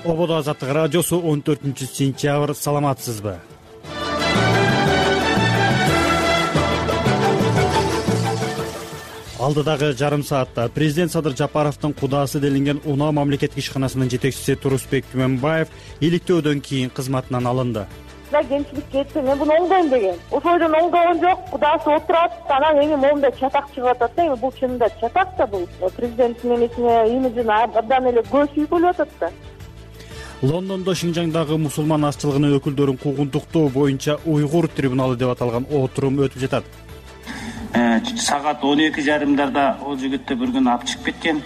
[SPEAKER 1] Ободо Азаттык радиосу 14-сентябрь. Саламатсызбы? Алдыдагы жарым саатта президент Садыр Жапаровдун кудаасы делинген Унаа мамлекеттик ишканасынын жетекчиси Турусбек Күмөнбаев иликтөөдөн кийин кызматынан алынды.
[SPEAKER 2] Кемчилик кетти, мен буну оңдойм деген. Ошойдон оңдогон жок, кудасы отурат, анан эми моунда чатак чыгып атат да, эми бул чынында чатак да, бул президенттин эмесине имиджине абдан эле көз үйгүлүп атат да.
[SPEAKER 1] Лондондо Шинжаңдагы мусулман азчылыгынын өкүлдөрүн куугунтуктоо боюнча Уйгур трибуналы деп аталган отурум өтүп жатат.
[SPEAKER 4] Сагат 12:30 ол жигитти бир күн алып чыгып кеткен.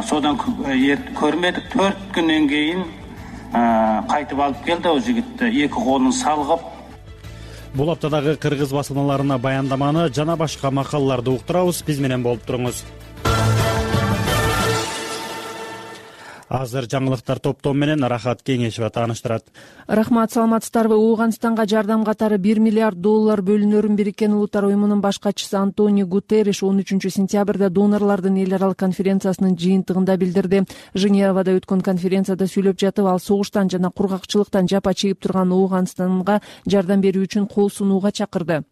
[SPEAKER 4] Содан көрмөдүк. 4 күндөн кийин кайтып алып келди ол жигитти, эки колун салгып.
[SPEAKER 1] Бул аптадагы кыргыз басылмаларына баяндаманы жана башка макалаларды уктурабыз. Биз менен болуп туруңуз. Азыр жаңылыктар топтом менен Рахат Кеңешова тааныштырат.
[SPEAKER 19] Рахмат, саламатсыздарбы? Ооганстанга жардам катары $1 миллиард Бириккен Бириккен Улуттар уюмунун баш катчысы Антонио Гутерриш 13-сентябрда донорлордун эл аралык конференциясынын жыйынтыгында билдирди. Женевада өткөн конференцияда сүйлөп жатып, ал согуштан жана кургакчылыктан жапа чегип турган Ооганстанга жардам берүү үчүн кол сунууга чакырды.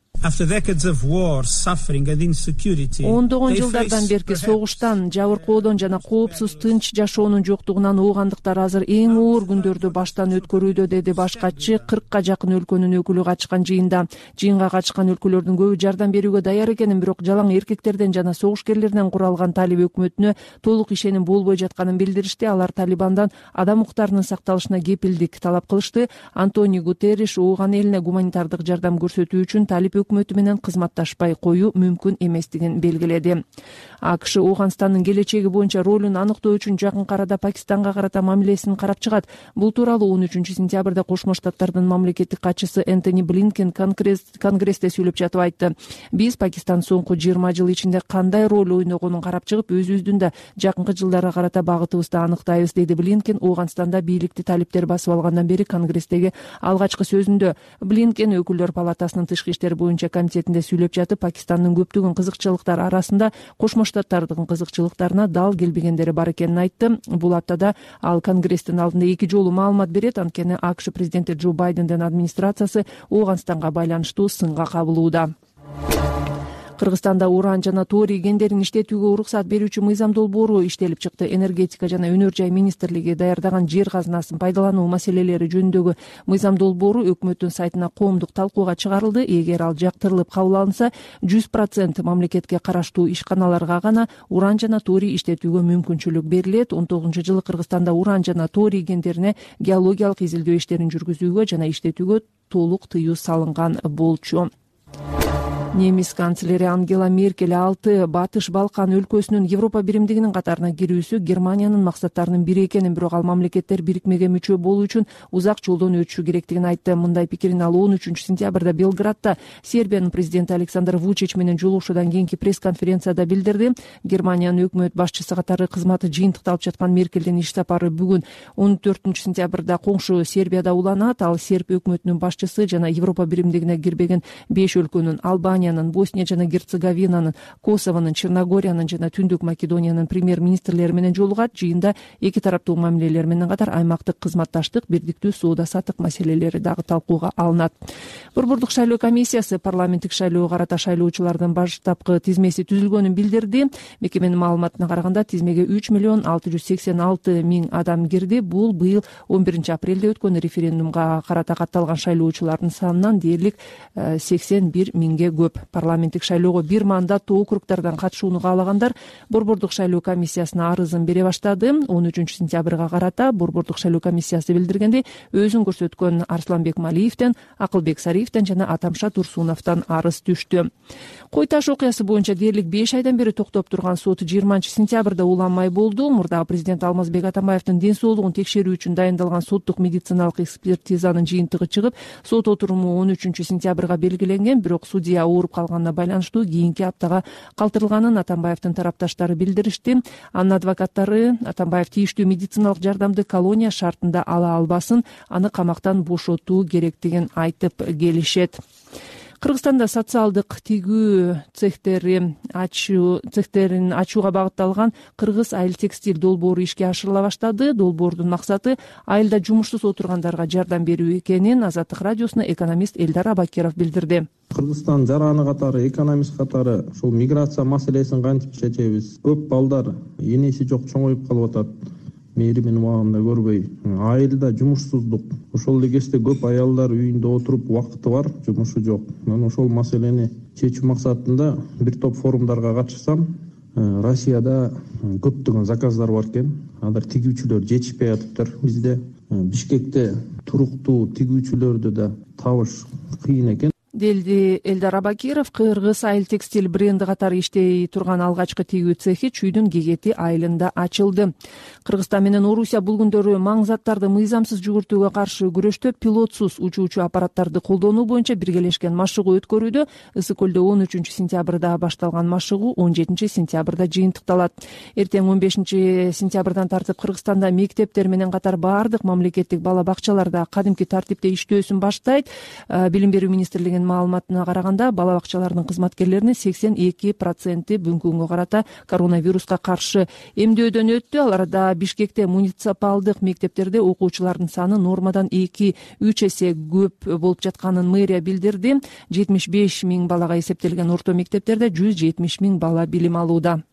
[SPEAKER 19] Ондогон жылдардан берки согуштан, жабыркоодон жана коопсуз тынч жашоонун жоктугунан оогандыктар азыр эң оор күндөрдү баштан өткөрүүдө, деди баш катчы 40-ка жакын өлкөнүн өкүлү катышкан жыйында. Жыйынга катышкан өлкөлөрдүн көбү жардам берүүгө даяр экенин, бирок жалаң эркектерден жана согушкерлерден куралган талиб өкмөтүнө толук ишеним болбой жатканын билдиришти. Алар Талибандан адам укуктарынын сакталышына кепилдик талап кылышты. Антонио Гутерриш ооган элине гуманитардык жардам көрсөтүү үчүн талиб өкмөтү менен кызматташпай коюу мүмкүн эместигин белгиледи. АКШ Ооганстандын келечеги боюнча ролун аныктоо үчүн жакынкы арада Пакистанга карата мамилесин карап чыгат. Бул тууралуу 13-сентябрда Кошмо Штаттардын мамлекеттик катчысы Энтони Блинкен Конгрессте сүйлөп жатып айтты. Биз Пакистан соңку 20 жыл ичинде кандай роль ойногонун карап чыгып, өзүбүздүн да жакынкы жылдарга карата багытыбызды аныктайбыз, деди Блинкен Ооганстанда бийликти талиптер басып алгандан бери Конгресстеги алгачкы сөзүндө. Блинкен өкүлдөр палатасынын тышкы иштер боюнча комитетинде сүйлөп жатып, Пакистандын көптөгөн кызыкчылыктар арасында Кошмо Штаттардын кызыкчылыктарына дал келбегендери бар экенин айтты. Бул аптада ал Конгресстин алдында 2 жолу маалымат берет, анткени АКШ президенти Джо Байдендин администрациясы Ооганстанга байланыштуу сынга кабылууда. Кыргызстанда уран жана торий кендерин иштетүүгө уруксат берүүчү мыйзам долбоору иштелип чыкты. Энергетика жана өнөр жай министрлиги даярдаган жер казынасын пайдалануу маселелери жөнүндөгү мыйзам долбоору өкмөттүн сайтына коомдук талкууга чыгарылды. Эгер ал жактырылып кабыл алынса, 100% мамлекетке караштуу ишканаларга гана уран жана торий иштетүүгө мүмкүнчүлүк берилет. 19-жылы Кыргызстанда уран жана торий кендерине геологиялык изилдөө иштерин жүргүзүүгө жана иштетүүгө толук тыюу салынган болчу. Немис канцлери Ангела Меркель 6 Батыш Балкан өлкөсүнүн Европа биримдигинин катарына кирүүсү Германиянын максаттарынын бири экенин, бирок ал мамлекеттер бирикмеге мүчө болуу үчүн узак жолдон өтүшү керектигин айтты. Мындай пикирин ал 13-сентябрда Белградта Сербиянын президенти Александр Вучич менен жолугушуудан кийинки пресс-конференцияда билдирди. Германиянын өкмөт башчысы катары кызматы жыйынтыкталып жаткан Меркелдин иш сапары бүгүн 14-сентябрда коңшу Сербияда уланат. Ал серб өкмөтүнүн башчысы жана Европа биримдигине кирбеген 5 өлкөнүн Албания,
[SPEAKER 7] Албаниянын, Босния жана Герцеговинанын, Косовонун, Черногориянын жана Түндүк Македониянын премьер-министрлери менен жолугат. Жыйында эки тараптуу мамилелер менен катар аймактык кызматташтык, бирдиктүү соода-саттык маселелери дагы талкууга алынат. Борбордук шайлоо комиссиясы парламенттик шайлоого карата шайлоочулардын баштапкы тизмеси түзүлгөнүн билдирди. Мекеменин маалыматына караганда тизмеге 3,686,000 адам кирди. Бул быйыл 11 апрелде өткөн референдумга карата катталган шайлоочулардын санынан дээрлик 81,000ге көп. Парламенттик шайлоого бир мандаттуу округдардан катышууну каалагандар Борбордук шайлоо комиссиясына арызын бере баштады. 13 сентябрга карата Борбордук шайлоо комиссиясы билдиргендей, өзүн көрсөткөн Арсланбек Малиевден, Акылбек Сариевден жана Атамша Турсуновдон арыз түштү. Кой таш окуясы боюнча дээрлик 5 айдан бери токтоп турган сот 20 сентябрда уланмай болду. Мурдагы президент Алмазбек Атамбаевдин ден соолугун текшерүү үчүн дайындалган соттук медициналык экспертизанын жыйынтыгы чыгып, сот отуруму 13 сентябрга белгиленген, бирок судья ооруп калганына байланыштуу кийинки аптага калтырылганын Атамбаевдин тарапташтары билдиришти. Анын адвокаттары Атамбаев тийиштүү медициналык жардамды колония шартында ала албасын, аны камактан бошотуу керектигин айтып келишет. Кыргызстанда социалдык тигүү цехтерин ачууга багытталган Кыргыз айыл текстиль долбоору ишке ашырыла баштады. Долбоордун максаты айылда жумушсуз отургандарга жардам берүү экенин Азаттык радиосуна экономист Элдар Абакиров билдирди.
[SPEAKER 8] Кыргызстан жараны катары, экономист катары ушул миграция маселесин кантип чечебиз? Көп балдар энеси жок чоңоюп калып атат. Мээримин убагында көрбөй, айылда жумушсуздук. Ошол эле кезде көп аялдар үйүндө отуруп убакыты бар, жумушу жок. Мен ошол маселени чечүү максатында бир топ форумдарга катышсам, Россияда көптөгөн заказдар бар экен. Алар тигүүчүлөр жетишпей атыптыр. Бизде Бишкекте туруктуу тигүүчүлөрдү да табыш кыйын экен.
[SPEAKER 7] Делди Элдар Абакиров. Кыргыз айыл текстиль бренди катары иштей турган алгачкы тигүү цехи Чүйдүн Гегети айылында ачылды. Кыргызстан менен Орусия бул күндөрү маң заттарды мыйзамсыз жүгүртүүгө каршы күрөштө пилотсуз учуучу аппараттарды колдонуу боюнча биргелешкен машыгуу өткөрүүдө. Ысык көлдө 13 сентябрда башталган машыгуу 17 сентябрда жыйынтыкталат. Эртең 15 сентябрдан тартып Кыргызстанда мектептер менен катар баардык мамлекеттик бала бакчаларда кадимки тартипте иштөөсүн баштайт. Билим берүү министрлигинин маалыматына караганда, бала бакчалардын кызматкерлеринин 82% бүгүнкү күнгө карата коронавируска каршы эмдөөдөн өттү. Аларда Бишкекте муниципалдык мектептерде окуучулардын саны нормадан 2-3 эсе көп болуп жатканын мэрия билдирди. 75,000 балага эсептелген орто мектептерде 170,000 бала билим алууда.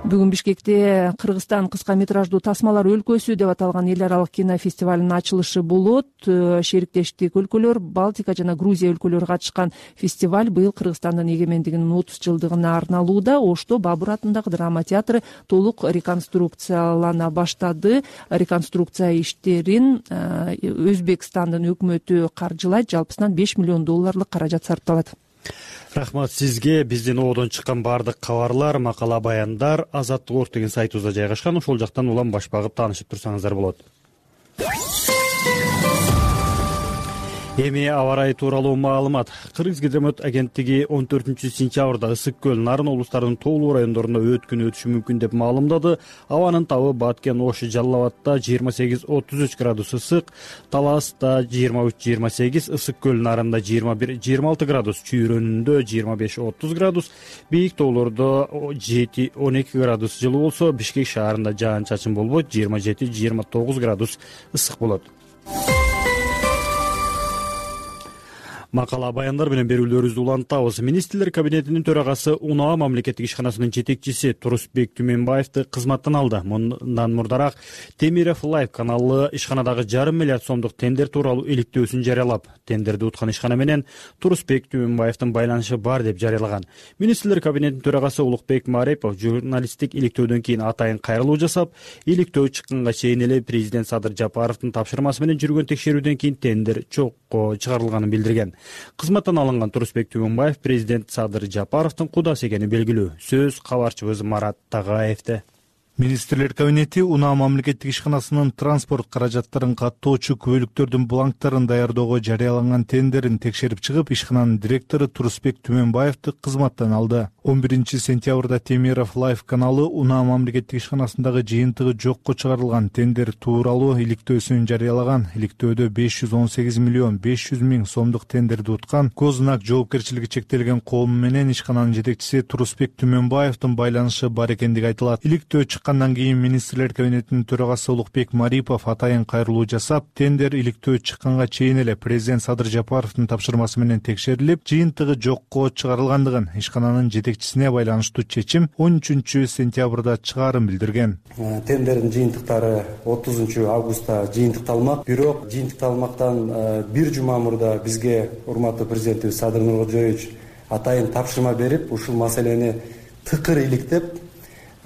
[SPEAKER 7] Бүгүн Бишкекте Кыргызстан кыска метраждуу тасмалар өлкөсү деп аталган эл аралык кинофестивалынын ачылышы болот. Шериктештик өлкөлөр, Балтика жана Грузия өлкөлөрү катышкан фестиваль быйыл Кыргызстандын эгемендигинин 30 жылдыгына арналууда. Ошто Бабур атындагы драма театры толук реконструкциялана баштады. Реконструкция иштерин Өзбекстандын өкмөтү каржылайт. Жалпысынан $5 миллион каражат сарпталат.
[SPEAKER 1] Рахмат сизге. Биздин оодон чыккан баардык кабарлар, макала, баяндар Азаттык деген сайтыбызда жайгашкан. Ошол жактан улам баш багып таанышып турсаңыздар болот. Эми аба ырайы тууралуу маалымат. Кыргызгидромет агенттиги 14 сентябрда Ысык көл, Нарын облустарынын тоолуу райондорунда өткүн өтүшү мүмкүн деп маалымдады. Абанын табы Баткен, Ош, Жалал Абадта 28-33 градус ысык, Таласта 23-28, Ысык көл, Нарында 21-26 градус, Чүйрөнүндө 25-30 градус, бийик тоолордо 7-12 градус жылуу болсо, Бишкек шаарында жаан-чачын болбойт, 27-29 градус ысык болот. Макала, баяндар менен берүүлөрүбүздү улантабыз. Министрлер кабинетинин төрагасы УНА мамлекеттик ишканасынын жетекчиси Турусбек Түменбаевди кызматтан алды. Мындан мурдараак Темиров Лайв каналы ишканадагы $500 миллиард сомдук тендер тууралуу иликтөөсүн жарыялап, тендерди уткан ишкана менен Турусбек Түменбаевдин байланышы бар деп жарыялаган. Министрлер кабинетинин төрагасы Улукбек Марипов журналисттик иликтөөдөн кийин атайын кайрылуу жасап, иликтөө чыкканга чейин эле президент Садыр Жапаровдун тапшырмасы менен жүргөн текшерүүдөн кийин тендер чокко чыгарылганын билдирген. Кызматтан алынган Турусбек Түменбаев президент Садыр Жапаровдун кудасы экени белгилүү. Сөз кабарчыбыз Марат Тагаевде.
[SPEAKER 9] Министрлер кабинети УНА мамлекеттик ишканасынын транспорт каражаттарын каттоочу күбөлүктөрдүн бланктарын даярдоого жарыяланган тендерин текшерип чыгып, ишкананын директору Турусбек Түменбаевди кызматтан алды. 11-сентябрда Темиров Life каналы Унаа мамлекеттик ишканасындагы жыйынтыгы жокко чыгарылган тендер тууралуу иликтөөсүн жарыялаган. Иликтөөдө 518 миллион 500 миң сомдук тендерди уткан Гознак жоопкерчилиги чектелген коому менен ишкананын жетекчиси Турусбек Түмөнбаевдин байланышы бар экендиги айтылат. Иликтөө чыккандан кийин министрлер кабинетинин төрагасы Улукбек Марипов атайын кайрылуу жасап, тендер иликтөө чыкканга чейин эле президент Садыр Жапаровдун тапшырмасы менен текшерилип, жыйынтыгы жокко чыгарылгандыгын, ишкананын жетекчисине байланыштуу чечим 13-сентябрда чыгарын билдирген.
[SPEAKER 6] Тендердин жыйынтыктары 30 августта жыйынтыкталмак. Бирок жыйынтыкталмактан бир жума мурда бизге урматтуу президентибиз Садыр Нуркожоевич атайын тапшырма берип, ушул маселени тыкыр иликтеп,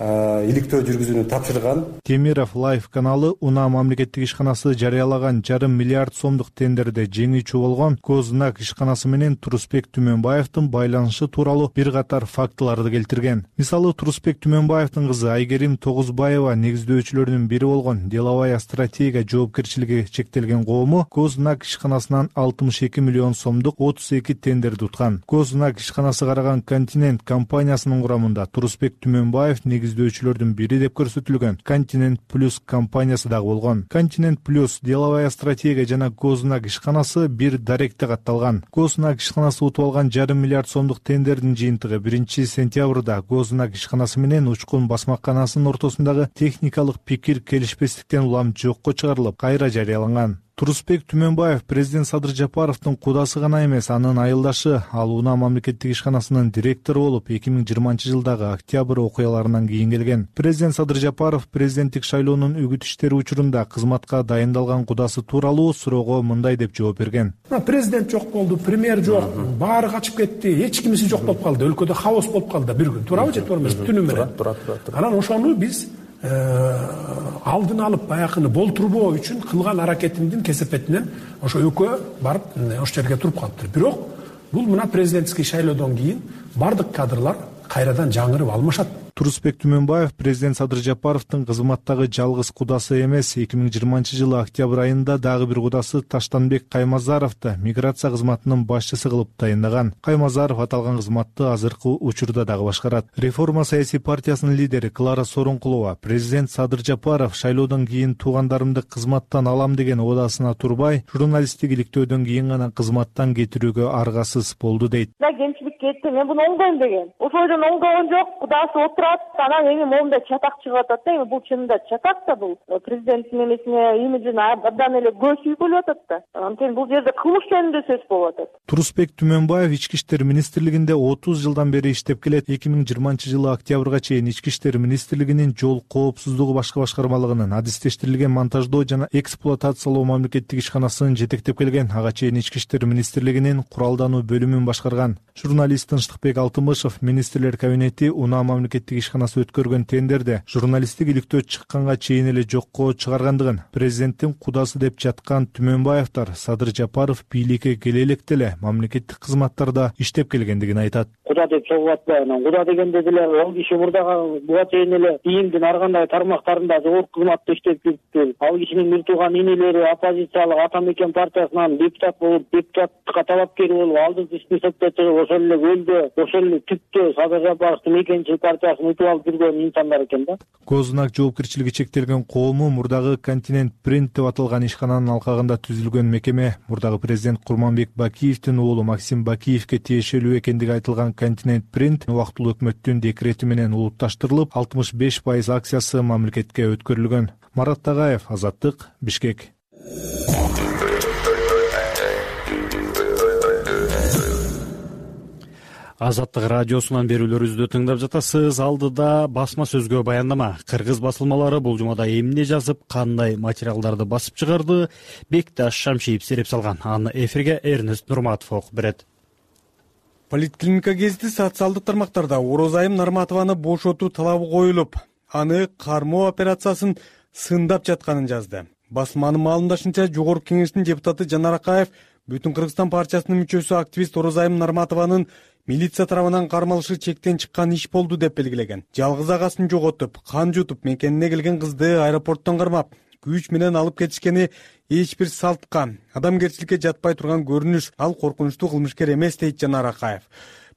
[SPEAKER 6] иликтөө жүргүзүүнү тапшырган.
[SPEAKER 9] Темиров Life каналы Унаа мамлекеттик ишканасы жарыялаган 1,5 миллиард сомдук тендерде жеңүүчү болгон Гознак ишканасы менен Турусбек Түмөнбаевдин байланышы тууралуу бир катар фактыларды келтирген. Мисалы, Турусбек Түмөнбаевдин кызы Айгерим Тогузбаева негиздөөчүлөрдүн бири болгон Деловая стратегия жоопкерчилиги чектелген коому Гознак ишканасынан 62 миллион сомдук 32 тендерди уткан. Гознак ишканасы караган Континент компаниясынын курамында Турусбек Түмөнбаев негиздөөчүлөрдүн бири деп көрсөтүлгөн Континент Плюс компаниясы дагы болгон. Континент Плюс, Деловая стратегия жана Гознак ишканасы бир даректе катталган. Гознак ишканасы утуп алган 1,5 миллиард сомдук тендердин жыйынтыгы 1-сентябрда Гознак ишканасы менен Учкун басмаканасынын ортосундагы техникалык пикир келишпестиктен улам жокко чыгарылып, кайра жарыяланган. Турусбек Түмөнбаев президент Садыр Жапаровдун кудасы гана эмес, анын айылдашы. Ал Унаа мамлекеттик ишканасынын директору болуп 2020-жылдагы октябрь окуяларынан кийин келген. Президент Садыр Жапаров президенттик шайлоонун үгүт иштери учурунда кызматка дайындалган кудасы тууралуу суроого мындай деп жооп берген.
[SPEAKER 10] Президент жок болду, премьер жок, баары качып кетти, эч кимиси жок болуп калды, өлкөдө хаос болуп калды бир күн. Туурабы же туура эмес? Түнү менен. Анан ошону биз алдын алып баягыны болтурбоо үчүн кылган аракетимдин кесепетинен ошо экөө барып ошол жерге туруп калыптыр. Бирок бул мына президентский шайлоодон кийин бардык кадрлар кайрадан жаңырып алмашат.
[SPEAKER 9] Турусбек Түмөнбаев президент Садыр Жапаровдун кызматтагы жалгыз кудасы эмес. 2020-жылы октябрь айында дагы бир кудасы Таштанбек Каймазаровду миграция кызматынын башчысы кылып тайындаган. Каймазаров аталган кызматты азыркы учурда дагы башкарат. Реформа саясий партиясынын лидери Клара Сооронкулова президент Садыр Жапаров шайлоодон кийин туугандарымды кызматтан алам деген оодасына турбай, журналисттик иликтөөдөн кийин гана кызматтан кетирүүгө аргасыз болду дейт.
[SPEAKER 2] Кемчилик кетти, мен буну оңдойм деген. Ошойдон оңдогон жок, кудасы отурат, анан эми моунда чатак чыгып атат да, эми бул чынында чатак да, бул президенттин эмесине, имиджине абдан эле көз үйгүлүп атат да. Анткени бул жерде кылмыш жөнүндө сөз болуп атат.
[SPEAKER 9] Турусбек Түмөнбаев Ички иштер министрлигинде 30 жылдан бери иштеп келет. 2020-жылы октябрга чейин Ички иштер министрлигинин жол коопсуздугу башкы башкармалыгынын адистештирилген монтаждоо жана эксплуатациялоо мамлекеттик ишканасын жетектеп келген. Ага чейин Ички иштер министрлигинин куралдануу бөлүмүн башкарган. Журналист Тынчтыкбек Алтымышев министрлер кабинети Унаа мамлекеттик ишканасы өткөргөн тендерде журналисттик иликтөө чыкканга чейин эле жокко чыгаргандыгын, президенттин кудасы деп жаткан Түмөнбаевдер Садыр Жапаров бийликке келе электе эле мамлекеттик кызматтарда иштеп келгендигин айтат.
[SPEAKER 12] Куда деп чогуп атпайбы, анан куда дегенде деле ал киши буга чейин эле ИИМдин ар кандай тармактарында жогорку кызматта иштеп жүрүптүр. Ал кишинин бир тууган инелери оппозициялык Ата Мекен партиясынан депутат болуп, депутаттыкка талапкер болуп, алдыңкы списокко чыгып, ошол эле өлдө, ошол эле түптө Садыр Жапаровдун Мекенчил партиясын утуп алып жүргөн инсандар экен да.
[SPEAKER 9] Гознак жоопкерчилиги чектелген коому мурдагы Континент Принт деп аталган ишкананын алкагында түзүлгөн мекеме. Мурдагы президент Курманбек Бакиевдин уулу Максим Бакиевке тиешелүү экендиги айтылган Континент Принт убактылуу өкмөттүн декрети менен улутташтырылып, 65% акциясы мамлекетке өткөрүлгөн. Марат Тагаев, Азаттык, Бишкек.
[SPEAKER 1] Азаттык радиосунан берүүлөрүбүздү тыңдап жатасыз. Алдыда басма сөзгө баяндама. Кыргыз басылмалары бул жумада эмне жазып, кандай материалдарды басып чыгарды, Бекташ Шамшиев сереп салган. Аны эфирге Эрнест Нурматов окуп берет.
[SPEAKER 13] Политклиника гезити социалдык тармактарда Орозайым Нарматованы бошотуу талабы коюлуп, аны кармоо операциясын сындап жатканын жазды. Басманын маалымдашынча, Жогорку Кеңештин депутаты Жанар Акаев Бүтүн Кыргызстан партиясынын мүчөсү активист Орозайым Нарматованын милиция тарабынан кармалышы чектен чыккан иш болду деп белгилеген. Жалгыз агасын жоготуп, кан жутуп, мекенине келген кызды аэропорттон кармап, күч менен алып кетишкени эч бир салтка, адамгерчиликке жатпай турган көрүнүш. Ал коркунучтуу кылмышкер эмес дейт Жанар Акаев.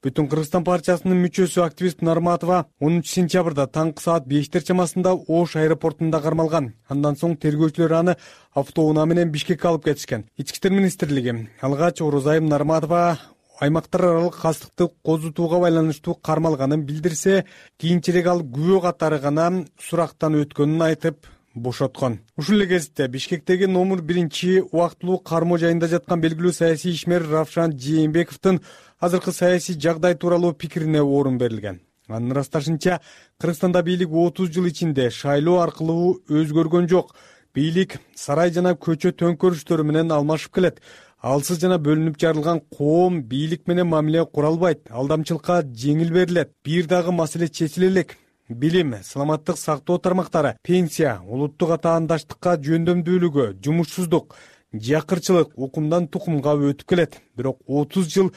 [SPEAKER 13] Бүтүн Кыргызстан партиясынын мүчөсү активист Нарматова 10 сентябрда таңкы саат 5 чамасында Ош аэропортунда кармалган. Андан соң тергөөчүлөр аны автоунаа менен Бишкекке алып кетишкен. Ички иштер министрлиги алгач Орозайым Нарматова аймактар аралык кастыкты козутууга байланыштуу кармалганын билдирсе, кийинчерээк ал күбө катары гана сурактан өткөнүн айтып бошоткон. Ушул эле кезде Бишкектеги номер 1 убактылуу кармоо жайында жаткан белгилүү саясий ишмер Равшан Жээнбековдун азыркы саясий жагдай тууралуу пикирине орун берилген. Анын ырасташынча, Кыргызстанда бийлик 30 жыл ичинде шайлоо аркылуу өзгөргөн жок. Бийлик сарай жана көчө төңкөрүштөрү менен алмашып келет. Алсыз жана бөлүнүп жарылган коом бийлик менен мамиле кура албайт. Алдамчылыкка жеңил берилет. Бир дагы маселе чечиле элек. Билим, саламаттык сактоо тармактары, пенсия, улуттук атаандаштыкка жөндөмдүүлүгү, жумушсуздук, жакырчылык укумдан тукумга өтүп келет. Бирок 30 жыл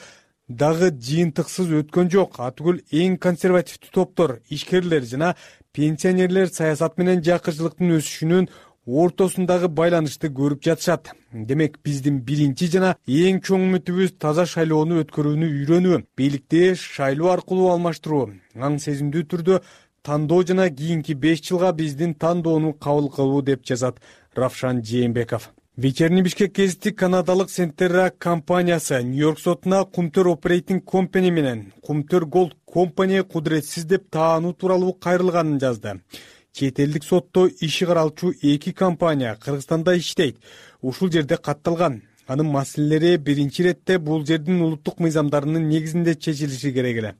[SPEAKER 13] дагы жыйынтыксыз өткөн жок. Атүгүл эң консервативдүү топтор, ишкерлер жана пенсионерлер саясат менен жакырчылыктын өсүшүнүн ортосундагы байланышты көрүп жатышат. Демек, биздин биринчи жана эң чоң үмүтүбүз таза шайлоону өткөрүүнү үйрөнүү, бийликти шайлоо аркылуу алмаштыруу, аң сезимдүү түрдө тандоо жана кийинки 5 жылга биздин тандоону кабыл кылуу, деп жазат Равшан Жээнбеков. Вечерний Бишкек гезити канадалык Сентерра компаниясы Нью-Йорк сотуна Кумтөр Operating Company менен Кумтөр Gold Company кудуретсиз деп таануу тууралуу кайрылганын жазды. Чет элдик сотто иши каралчу 2 компания Кыргызстанда иштейт. Ушул жерде катталган. Анын маселелери биринчи иретте бул жердин улуттук мыйзамдарынын негизинде чечилиши керек эле.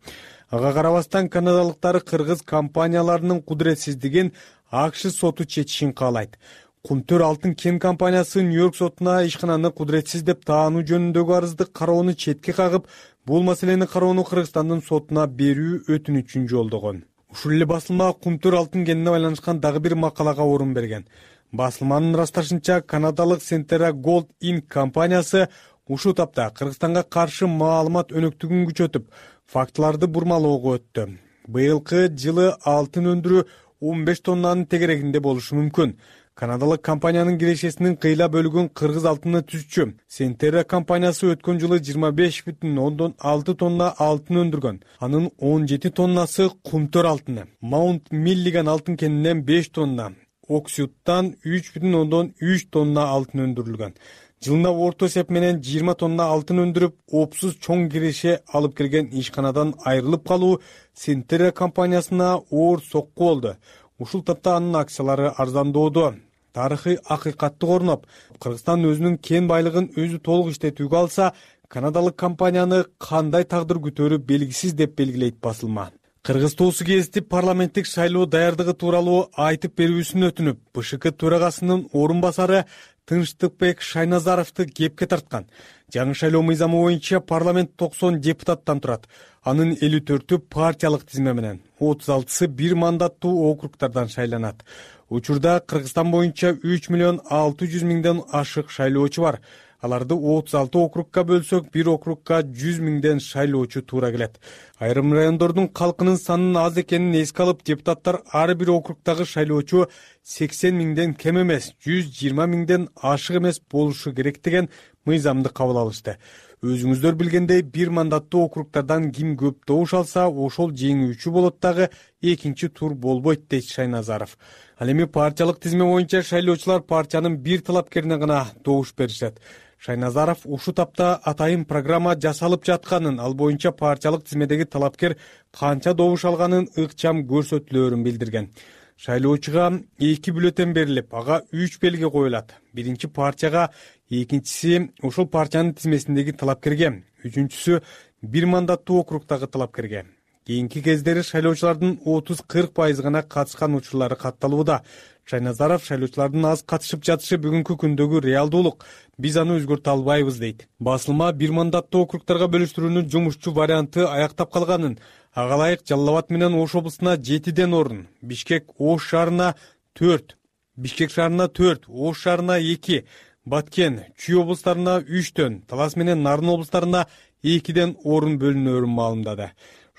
[SPEAKER 13] Ага карабастан канадалыктар кыргыз компанияларынын кудуретсиздигин АКШ соту чечишин каалайт. Кумтөр Алтын кен компаниясы Нью-Йорк сотуна ишкананы кудуретсиз деп таануу жөнүндөгү арызды кароону четке кагып, бул маселени кароону Кыргызстандын сотуна берүү өтүнүчүн жолдогон. Ушул эле басылма Кумтөр алтын кенине байланышкан дагы бир макалага орун берген. Басылманын ырасташынча, канадалык Сентерра Gold Inc компаниясы ушул тапта Кыргызстанга каршы маалымат өнөктүгүн күчөтүп, фактыларды бурмалоого өттү. Быйылкы жылы алтын өндүрүү 15 тоннанын тегерегинде болушу мүмкүн. Канадалык компаниянын кирешесинин кыйла бөлүгүн кыргыз алтыны түзчү. Сентерра компаниясы өткөн жылы 25,6 тонна алтын өндүргөн. Анын 17 тоннасы Кумтөр алтыны. Маунт Миллиган алтын кенинен 5 тонна, Оксюттан 3,3 тонна алтын өндүрүлгөн. Жылына орто эсеп менен 20 тонна алтын өндүрүп, опсуз чоң киреше алып келген ишканадан айрылып калуу Сентерра компаниясына оор сокку болду. Ушул тапта анын акциялары арзандоодо. Тарыхый акыйкатты корноп, Кыргызстан өзүнүн кен байлыгын өзү толук иштетүүгө алса, канадалык компанияны кандай тагдыр күтөөрү белгисиз деп белгилейт басылма. Кыргыз Тоосу гезити парламенттик шайлоо даярдыгы тууралуу айтып берүүсүн өтүнүп, БШК төрагасынын орун басары Тынчтыкбек Шайназаровду кепке тарткан. Жаңы шайлоо мыйзамы боюнча парламент 90 депутаттан турат. Анын 54-ü партиялык тизме менен, 36-сы бир мандаттуу округтардан шайланат. Учурда Кыргызстан боюнча 3,600,000 ашык шайлоочу бар. Аларды 36 округка бөлсөк, бир округка 100,000 шайлоочу туура келет. Айрым райондордун калкынын санынын аз экенин эске алып, депутаттар ар бир округдагы шайлоочу 80,000 кем эмес, 120,000 ашык эмес болушу керек деген мыйзамды кабыл алышты. Өзүңүздөр билгендей, бир мандаттуу округтардан ким көп добуш алса, ошол жеңүүчү болот дагы, экинчи тур болбойт, дейт Шайназаров. Ал эми партиялык тизме боюнча шайлоочулар партиянын бир талапкерине гана добуш беришет. Шайназаров ушул тапта атайын программа жасалып жатканын, ал боюнча партиялык тизмедеги талапкер канча добуш алганын ыкчам көрсөтүлөөрүн билдирген. Шайлоочуга 2 бюллетен берилип, ага 3 белги коюлат. Биринчи партияга, экинчиси ошол партиянын тизмесиндеги талапкерге, үчүнчүсү бир мандаттуу округдагы талапкерге. Кийинки кездери шайлоочулардын 30-40% гана катышкан учурлары катталууда. Шайназаров шайлоочулардын аз катышып жатышы бүгүнкү күндөгү реалдуулук. Биз аны өзгөртө албайбыз, дейт. Басылма бир мандаттуу округдарга бөлүштүрүүнүн жумушчу варианты аяктап калганын, ага ылайык Жалал Абад менен Ош облусуна 7ден орун, Бишкек Ош шаарына 4, Бишкек шаарына 4, Ош шаарына 2, Баткен, Чүй облустарына 3төн, Талас менен Нарын облустарына 2ден орун бөлүнөөрүн маалымдады.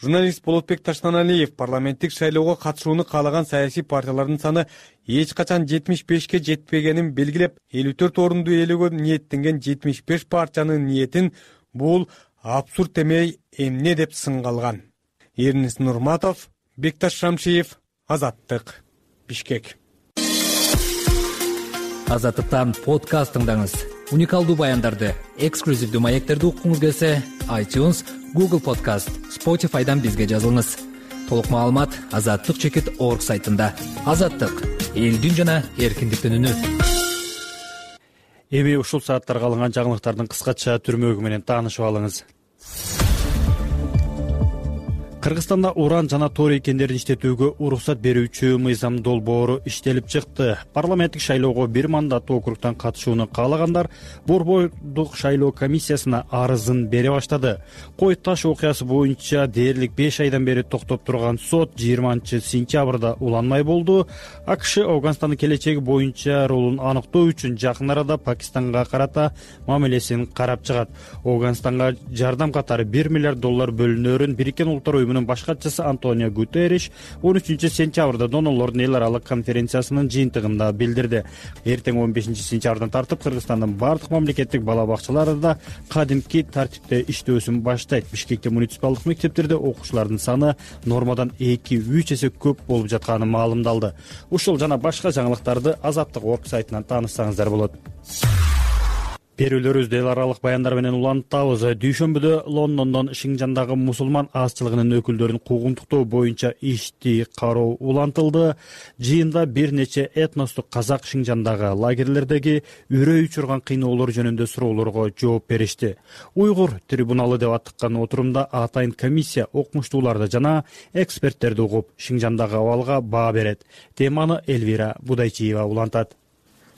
[SPEAKER 13] Журналист Болотбек Таштаналиев парламенттик шайлоого катышууну каалаган саясий партиялардын саны эч качан 75ке жетпегенин белгилеп, 54 орунду ээлөөгө ниеттенген 75 партиянын ниетин бул абсурд эмей эмне деп сынгалган? Эрнис Нурматов, Бекташ Шамшиев, Азаттык, Бишкек.
[SPEAKER 3] Азаттыктан подкаст тыңдаңыз. Уникалдуу баяндарды, эксклюзивдүү маектерди уккуңуз келсе, iTunes, Google Podcast, Spotify'дан бизге жазылыңыз. Толук маалымат azattyk.org сайтында. Азаттык — элдин жана эркиндиктин үнү.
[SPEAKER 1] Эми ушул сааттарга алынган жаңылыктардын кыскача түрмөгү менен таанышып алыңыз. Кыргызстанда уран жана торий кендерин иштетүүгө уруксат берүүчү мыйзам долбоору иштелип чыкты. Парламенттик шайлоого бир мандаттуу округтан катышууну каалагандар Борбордук шайлоо комиссиясына арызын бере баштады. Кой таш окуясы боюнча дээрлик 5 айдан бери токтоп турган сот 20-сентябрда уланмай болду. АКШ Афганстандын келечеги боюнча ролун аныктоо үчүн жакын арада Пакистанга карата мамилесин карап чыгат. Афганстанга жардам катары $1 миллиард бөлүнөрүн Бириккен Улуттар Уюмунун баш катчысы Антонио Гутерриш 13-сентябрда донорлордун эл аралык конференциясынын жыйынтыгында билдирди. Эртең 15-сентябрдан тартып Кыргызстандын бардык мамлекеттик бала бакчаларында кадимки тартипте иштөөсүн баштайт. Бишкекте муниципалдык мектептерде окуучулардын саны нормадан 2-3 эсе көп болуп жатканы маалымдалды. Ушул жана башка жаңылыктарды Азаттык.org сайтынан таанышсаңыздар болот. Берүүлөрүбүздү эл аралык баяндар менен улантабыз. Дүйшөмбүдө Лондондон Шинжандагы мусулман аз-чылыгынын өкүлдөрүн куугунтуктоо боюнча ишти кароо улантылды. Жыйында бир нече этностук казак Шинжандагы лагерлердеги үрөй учурган кыйноолор жөнүндө суроолорго жооп беришти. Уйгур трибуналы деп аттыккан отурумда атайын комиссия окумуштууларды жана эксперттерди угуп, Шинжандагы абалга баа берет. Теманы Элвира Будайчиева улантат.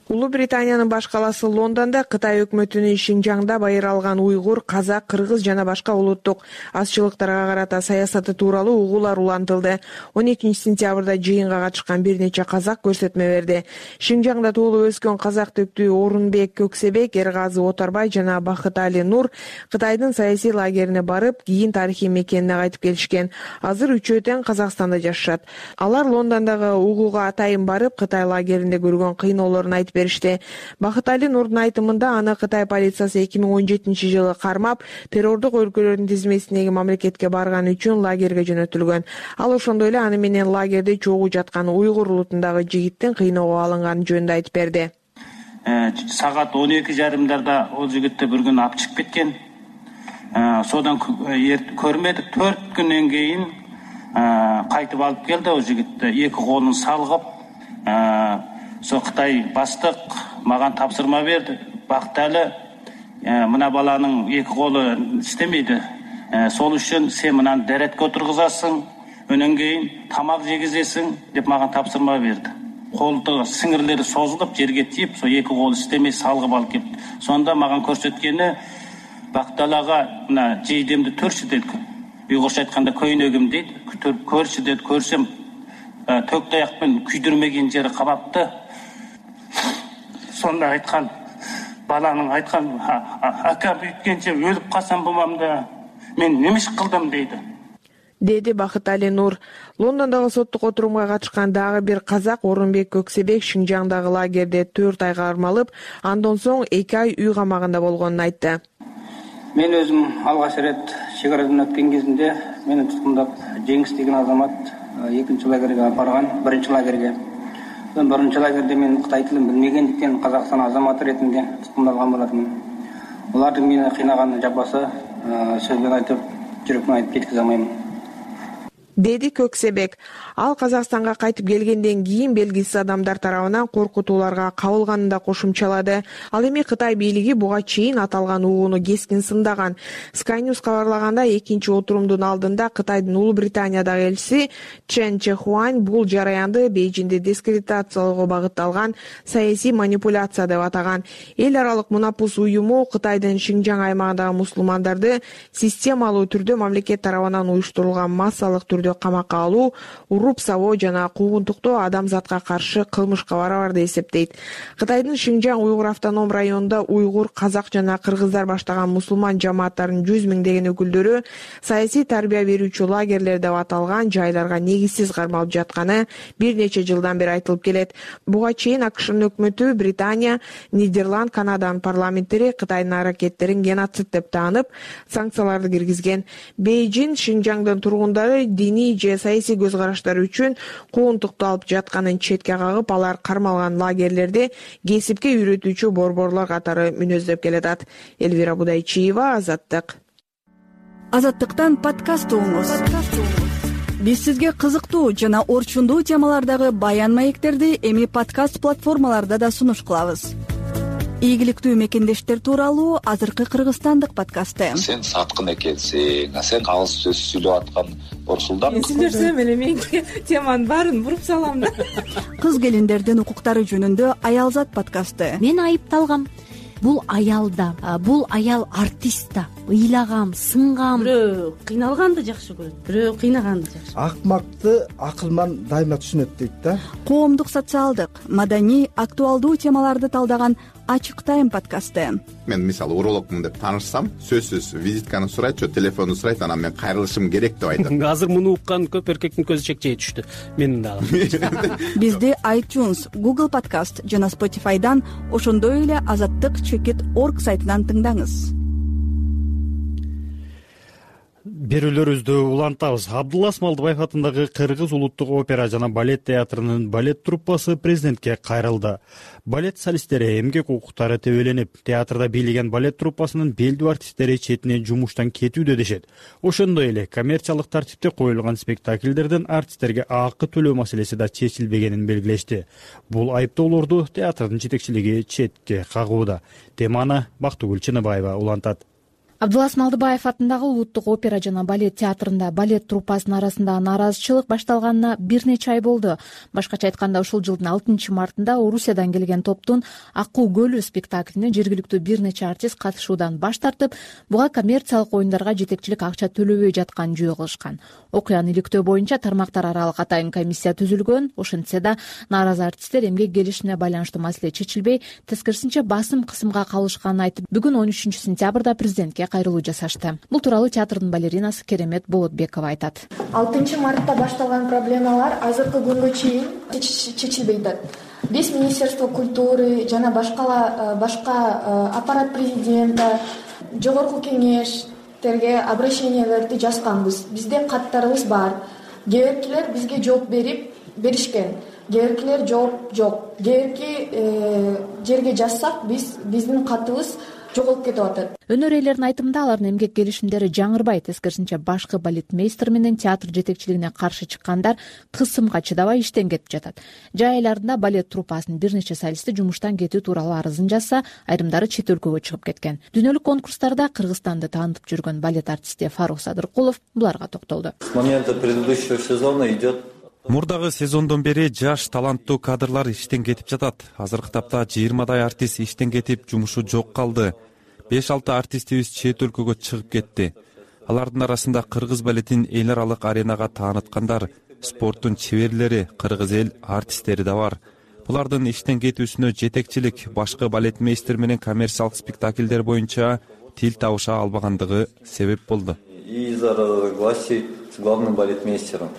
[SPEAKER 19] Улуу Британиянын баш калаасы Лондондо Кытай өкмөтүнүн Шинжаңда байыр алган уйгур, казак, кыргыз жана башка улуттук азчылыктарга карата саясаты тууралуу угуулар улантылды. 12-сентябрда жыйынга катышкан бир нече казак көрсөтмө берди. Шинжаңда туулуп өскөн казак төктүү Орунбек Көксебек, Эргазы Отарбай жана Бакытали Нур Кытайдын саясий лагерине барып, кийин тарыхый мекенине кайтып келишкен. Азыр үчөө тең Казакстанда жашашат. Алар Лондондогу угууга атайын барып, Кытай лагеринде көргөн кыйноолорун айтып беришти. Бакытали Нурдун айтымында аны Кытай полициясы 2017-жылы кармап, террордук өлкөлөрдүн тизмесиндеги мамлекетке барганы үчүн лагерге жөнөтүлгөн. Ал ошондой эле аны менен лагерде чогуу жаткан уйгур улутундагы жигиттин кыйноого алынганы жөнүндө айтып берди.
[SPEAKER 4] Сагат 12:30 ол жигитти бир күн алып чыгып кеткен. Содан көрмөдүк. 4 күндөн кийин кайтып алып келди ол жигитти. Эки колун салгып, Кытай бастык мага тапсырма берди. Бакталы, мына баланын эки колу иштемейди. Сол үчүн сен мынаны деретке отургузасың, өнөн кийин тамак жегизесиң деп мага тапсырма берди. Колду сиңирлери созулуп, жерге тийип, со эки кол иштемей салгып алып келди. Сонда мага көрсөткөнү Бакталага мына жейдемди төрчү дейт. Уйгурча айтканда көйнөгүм дейт. Көрчү дейт, көрсөм төк таякпен күйдүрмеген жери кабапты. Сонда айткан, баланын айткан, акам үйткенче өлүп калсам болмамда, мен немиш кылдым дейди.
[SPEAKER 19] Деди Бакытали Нур. Лондондогу соттук отурумга катышкан дагы бир казак Орунбек Көксебек Шинжаңдагы лагерде 4 айга кармалып, андан соң 2 ай үй камагында болгонун айтты.
[SPEAKER 14] Мен өзүм алгач ирет чек арадан өткөн кезинде мени туткундап Жеңис деген азамат 2-нчи лагерге барган, 1-нчи лагерге. Биринчи лагерде мен Кытай тилин билмегендиктен Казакстан азаматы ретинде туткундалган болатмын. Алардын мени кыйнаган жапасы сөзбен айтып, жүрөкмөн айтып жеткизе алмайм.
[SPEAKER 19] Деди Көксебек. Ал Казакстанга кайтып келгенден кийин белгисиз адамдар тарабынан коркутууларга кабылганын да кошумчалады. Ал эми Кытай бийлиги буга чейин аталган угууну кескин сындаган. Sky News кабарлаганда 2-нчи отурумдун алдында Кытайдын Улуу Британиядагы элчиси Чен Чехуань бул жараянды Бейжиңди дискредитациялоого багытталган саясий манипуляция деп атаган. Эл аралык Мунапус уюму Кытайдын Шинжаң аймагындагы мусулмандарды системалуу түрдө мамлекет тарабынан уюштурулган массалык түрдө камакка алуу уруп сабоо жана куугунтуктоо адамзатка каршы кылмышка барабар деп эсептейт. Кытайдын Шинжаң уйгур автоном районунда уйгур, казак жана кыргыздар баштаган мусулман жамааттарынын 100 миңдеген өкүлдөрү саясий тарбия берүүчү лагерлер деп аталган жайларга негизсиз кармалып жатканы бир нече жылдан бери айтылып келет. Буга чейин АКШнын өкмөтү Британия, Нидерланд, Канаданын парламенттери Кытайдын аракеттерин геноцид деп таанып, санкцияларды киргизген. Бейжин Шинжаңдын тургундары диний же саясий көз караштары үчүн куугунтукту алып жатканын четке кагып, алар кармалган лагерлерди кесипке үйрөтүүчү борборлор катары мүнөздөп келатат. Элвира Будайчиева, Азаттык.
[SPEAKER 11] Азаттыктан подкаст угуңуз. Биз сизге кызыктуу жана орчундуу темалардагы баян маектерди эми подкаст платформаларда да сунуш кылабыз. Ийгиликтүү мекендештер тууралуу азыркы кыргызстандык подкасты.
[SPEAKER 15] Сен саткын экенсиң, сен кагыс сөз сүйлөп аткан Орсулдан.
[SPEAKER 16] Мен сүйлөсөм эле менин теманын баарын буруп салам.
[SPEAKER 11] Кыз келиндердин укуктары жөнүндө Аялзат подкасты.
[SPEAKER 17] Мен айыпталгам. Бул аялда, бул аял артист да. Ыйлагам, сынгам.
[SPEAKER 16] Бирөө кыйналганды жакшы көрөт, бирөө кыйнаганды жакшы.
[SPEAKER 25] Акмакты акылман дайыма түшүнөт дейт да.
[SPEAKER 11] Коомдук, социалдык, маданий, актуалдуу темаларды талдаган Ачык тайм подкасты.
[SPEAKER 26] Мен мисалы урологмун деп таанышсам, сөзсүз визитканы сурайт, же телефонду сурайт, анан мен кайрылышым керек деп айтат.
[SPEAKER 22] Азыр муну уккан көп эркектин көзү чекчей түштү. Менин дагы.
[SPEAKER 11] Бизди iTunes, Google Podcast жана Spotify'дан, ошондой эле azattik.org сайтынан тыңдаңыз.
[SPEAKER 1] Берүүлөрүбүздү улантабыз. Абдулла Смалдыбаев атындагы Кыргыз улуттук опера жана балет театрынын балет труппасы президентке кайрылды. Балет солисттери эмгек укуктары тебеленип, театрда бийлеген балет труппасынын белдүү артисттери четинен жумуштан кетүүдө дешет. Ошондой эле коммерциялык тартипте коюлган спектакльдерден артисттерге акы төлөө маселеси да чечилбегенин белгилешти. Бул айыптоолорду театрдын жетекчилиги четке кагууда. Теманы Бактыгүл Чыныбаева улантат.
[SPEAKER 27] Абдулла Смалдыбаев атындагы улуттук опера жана балет театрында балет труппасынын арасында наразычылык башталганына бир нече ай болду. Башкача айтканда, ушул жылдын 6 мартында Орусиядан келген топтун Акуу көлү спектаклине жергиликтүү бир нече артист катышуудан баш тартып, буга коммерциялык оюндарга жетекчилик акча төлөбөй жатканын жөө кылышкан. Окуяны иликтөө боюнча тармактар аралык атайын комиссия түзүлгөн. Ошентсе да нааразы артисттер эмгек келишине байланыштуу маселе чечилбей, тескерисинче басым кысымга калышканын айтып, бүгүн 13 сентябрда президентке кайрылуу жасашты. Бул тууралуу театрдын балеринасы Керемет Болотбекова айтат.
[SPEAKER 28] 6 мартта башталган проблемалар азыркы күнгө чейин чечилбей атат. Биз Министерство культуры жана башка аппарат президента, жогорку кеңештерге обращениялерди жазганбыз. Бизде каттарыбыз бар. Кээбиркилер бизге жооп беришкен. Кээбиркилер жооп жок. Кээбирки жерге жазсак, биздин катыбыз жоголуп кетип атат.
[SPEAKER 27] Өнөр ээлеринин айтымында, алардын эмгек келишимдери жаңырбай, тескерисинче башкы балетмейстер менен театр жетекчилигине каршы чыккандар кысымга чыдабай иштен кетип жатат. Жай айларында балет труппасынын бир нече солисти жумуштан кетүү тууралуу арызын жазса, айрымдары чет өлкөгө чыгып кеткен. Дүйнөлүк конкурстарда Кыргызстанды таанытып жүргөн балет артисти Фарук Садыркулов буларга токтолду.
[SPEAKER 29] С момента предыдущего сезона идет.
[SPEAKER 30] Мурдагы сезондон бери жаш таланттуу кадрлар иштен кетип жатат. Азыркы тапта 20 артист иштен кетип, жумушу жок калды. 5-6 артистибиз чет өлкөгө чыгып кетти. Алардын арасында кыргыз балетин эл аралык аренага тааныткандар, спорттун чеберлери, кыргыз эл артисттери да бар. Булардын иштен кетүүсүнө жетекчилик башкы балетмейстер менен коммерциялык спектакльдер боюнча тил табыша албагандыгы себеп болду.
[SPEAKER 29] Из-за разногласий с главным балетмейстером.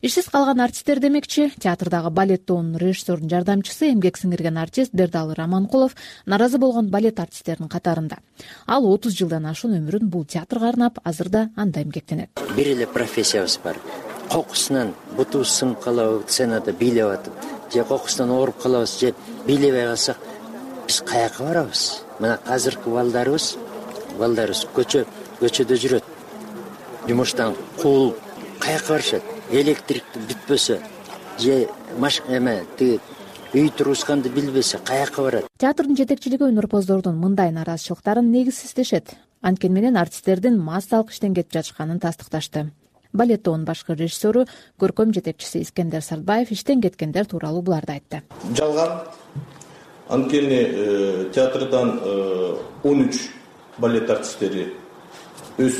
[SPEAKER 27] Ишсиз калган артисттер демекчи, театрдагы балет тобунун режиссердун жардамчысы, эмгек сиңирген артист Бердалы Раманкулов наразы болгон балет артисттеринин катарында. Ал 30 жылдан ашуун өмүрүн бул театрга арнап, азырда анда эмгектенет.
[SPEAKER 31] Бир эле профессиябыз бар. Кокусунан бутубуз сынып калабы, сценада бийлеп атып, же кокусунан ооруп калабыз, же бийлебей калсак, биз каяка барабыз? Мына азыркы балдарыбыз көчөдө жүрөт. Жумуштан кул каяка барышат? Электрик бүтпөсө, же үй тургузганды билбесе, каяка барат?
[SPEAKER 27] Театрдын жетекчилиги өнөрпоздордун мындай наразычылыктарын негизсиз дешет. Анткени менен артисттердин массалык иштен кетип жатышканын тастыкташты. Балет тобунун башкы режиссеру, көркөм жетекчиси Искендер Сартбаев иштен кеткендер тууралуу буларды айтты.
[SPEAKER 32] Жалган. Анткени театрдан 13 балет артисттери өз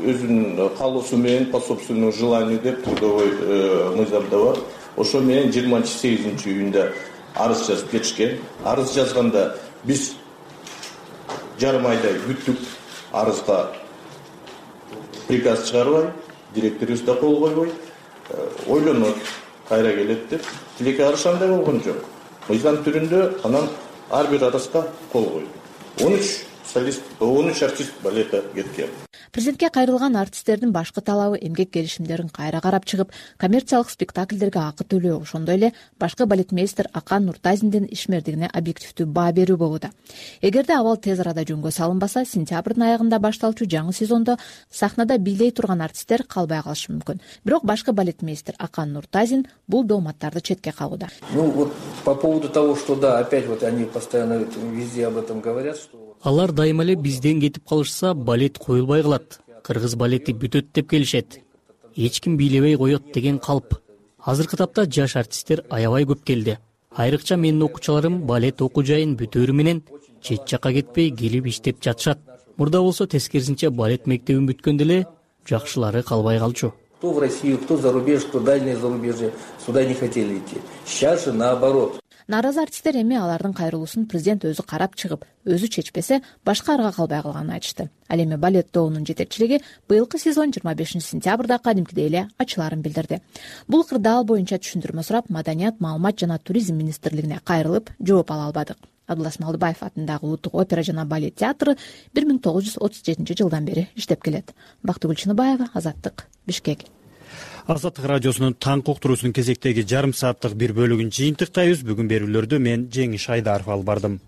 [SPEAKER 2] өзүнүн каалоосу менен по собственному желанию деп трудовой мыйзамда бар. Ошо менен 28-июнда арыз жазып кетишкен. Арыз жазганда биз жарым айдай күттүк. Арызга приказ чыгарбай, директорубуз да кол койбой, ойлонот, кайра келет деп. Тилекке каршы андай болгон жок. Мыйзам түрүндө анан ар бир арызга кол койду. 13 артист балета кеткен.
[SPEAKER 27] Президентке кайрылган артисттердин башкы талабы эмгек келишимдерин кайра карап чыгып, коммерциялык спектакльдерге акы төлөө, ошондой эле башкы балетмейстер Акан Нуртазиндин ишмердигине объективдүү баа берүү болууда. Эгерде абал тез арада жөнгө салынбаса, сентябрдын аягында башталчу жаңы сезондо сахнада бийлей турган артисттер калбай калышы мүмкүн. Бирок башкы балетмейстер Акан Нуртазин бул дооматтарды четке кагууда.
[SPEAKER 5] По поводу того, что да, опять они постоянно везде об этом говорят, что
[SPEAKER 6] алар дайыма эле бизден кетип калышса, балет коюлбай калат. Кыргыз балети бүтөт деп келишет. Эч ким бийлебей коет деген калп. Азыркы тапта жаш артисттер аябай көп келди. Айрыкча менин окуучуларым балет окуу жайын бүтөөрү менен чет жакка кетпей келип иштеп жатышат. Мурда болсо тескерисинче балет мектебин бүткөндө эле жакшылары калбай калчу.
[SPEAKER 5] Кто в Россию, кто за рубеж, кто дальнее зарубежье, сюда не хотели идти. Сейчас же наоборот.
[SPEAKER 27] Нааразы артисттер эми алардын кайрылуусун президент өзү карап чыгып, өзү чечпесе, башка арга калбай калганын айтышты. Ал эми балет доонун жетекчилиги быйылкы сезон 25 сентябрда кадимкидей эле ачыларын билдирди. Бул кырдаал боюнча түшүндүрмө сурап, Маданият, маалымат жана туризм министрлигине кайрылып, жооп ала албадык. Абдулас Малдыбаев атындагы Улуттук опера жана балет театры 1937 жылдан бери иштеп келет. Бактыгүл Чыныбаева, Азаттык, Бишкек.
[SPEAKER 1] Азаттык радиосунун таңкы уктуруусунун кезектеги жарым сааттык бир бөлүгүн жыйынтыктайбыз. Бүгүн берүүлөрдү мен Жеңиш Айдаров алып бардым.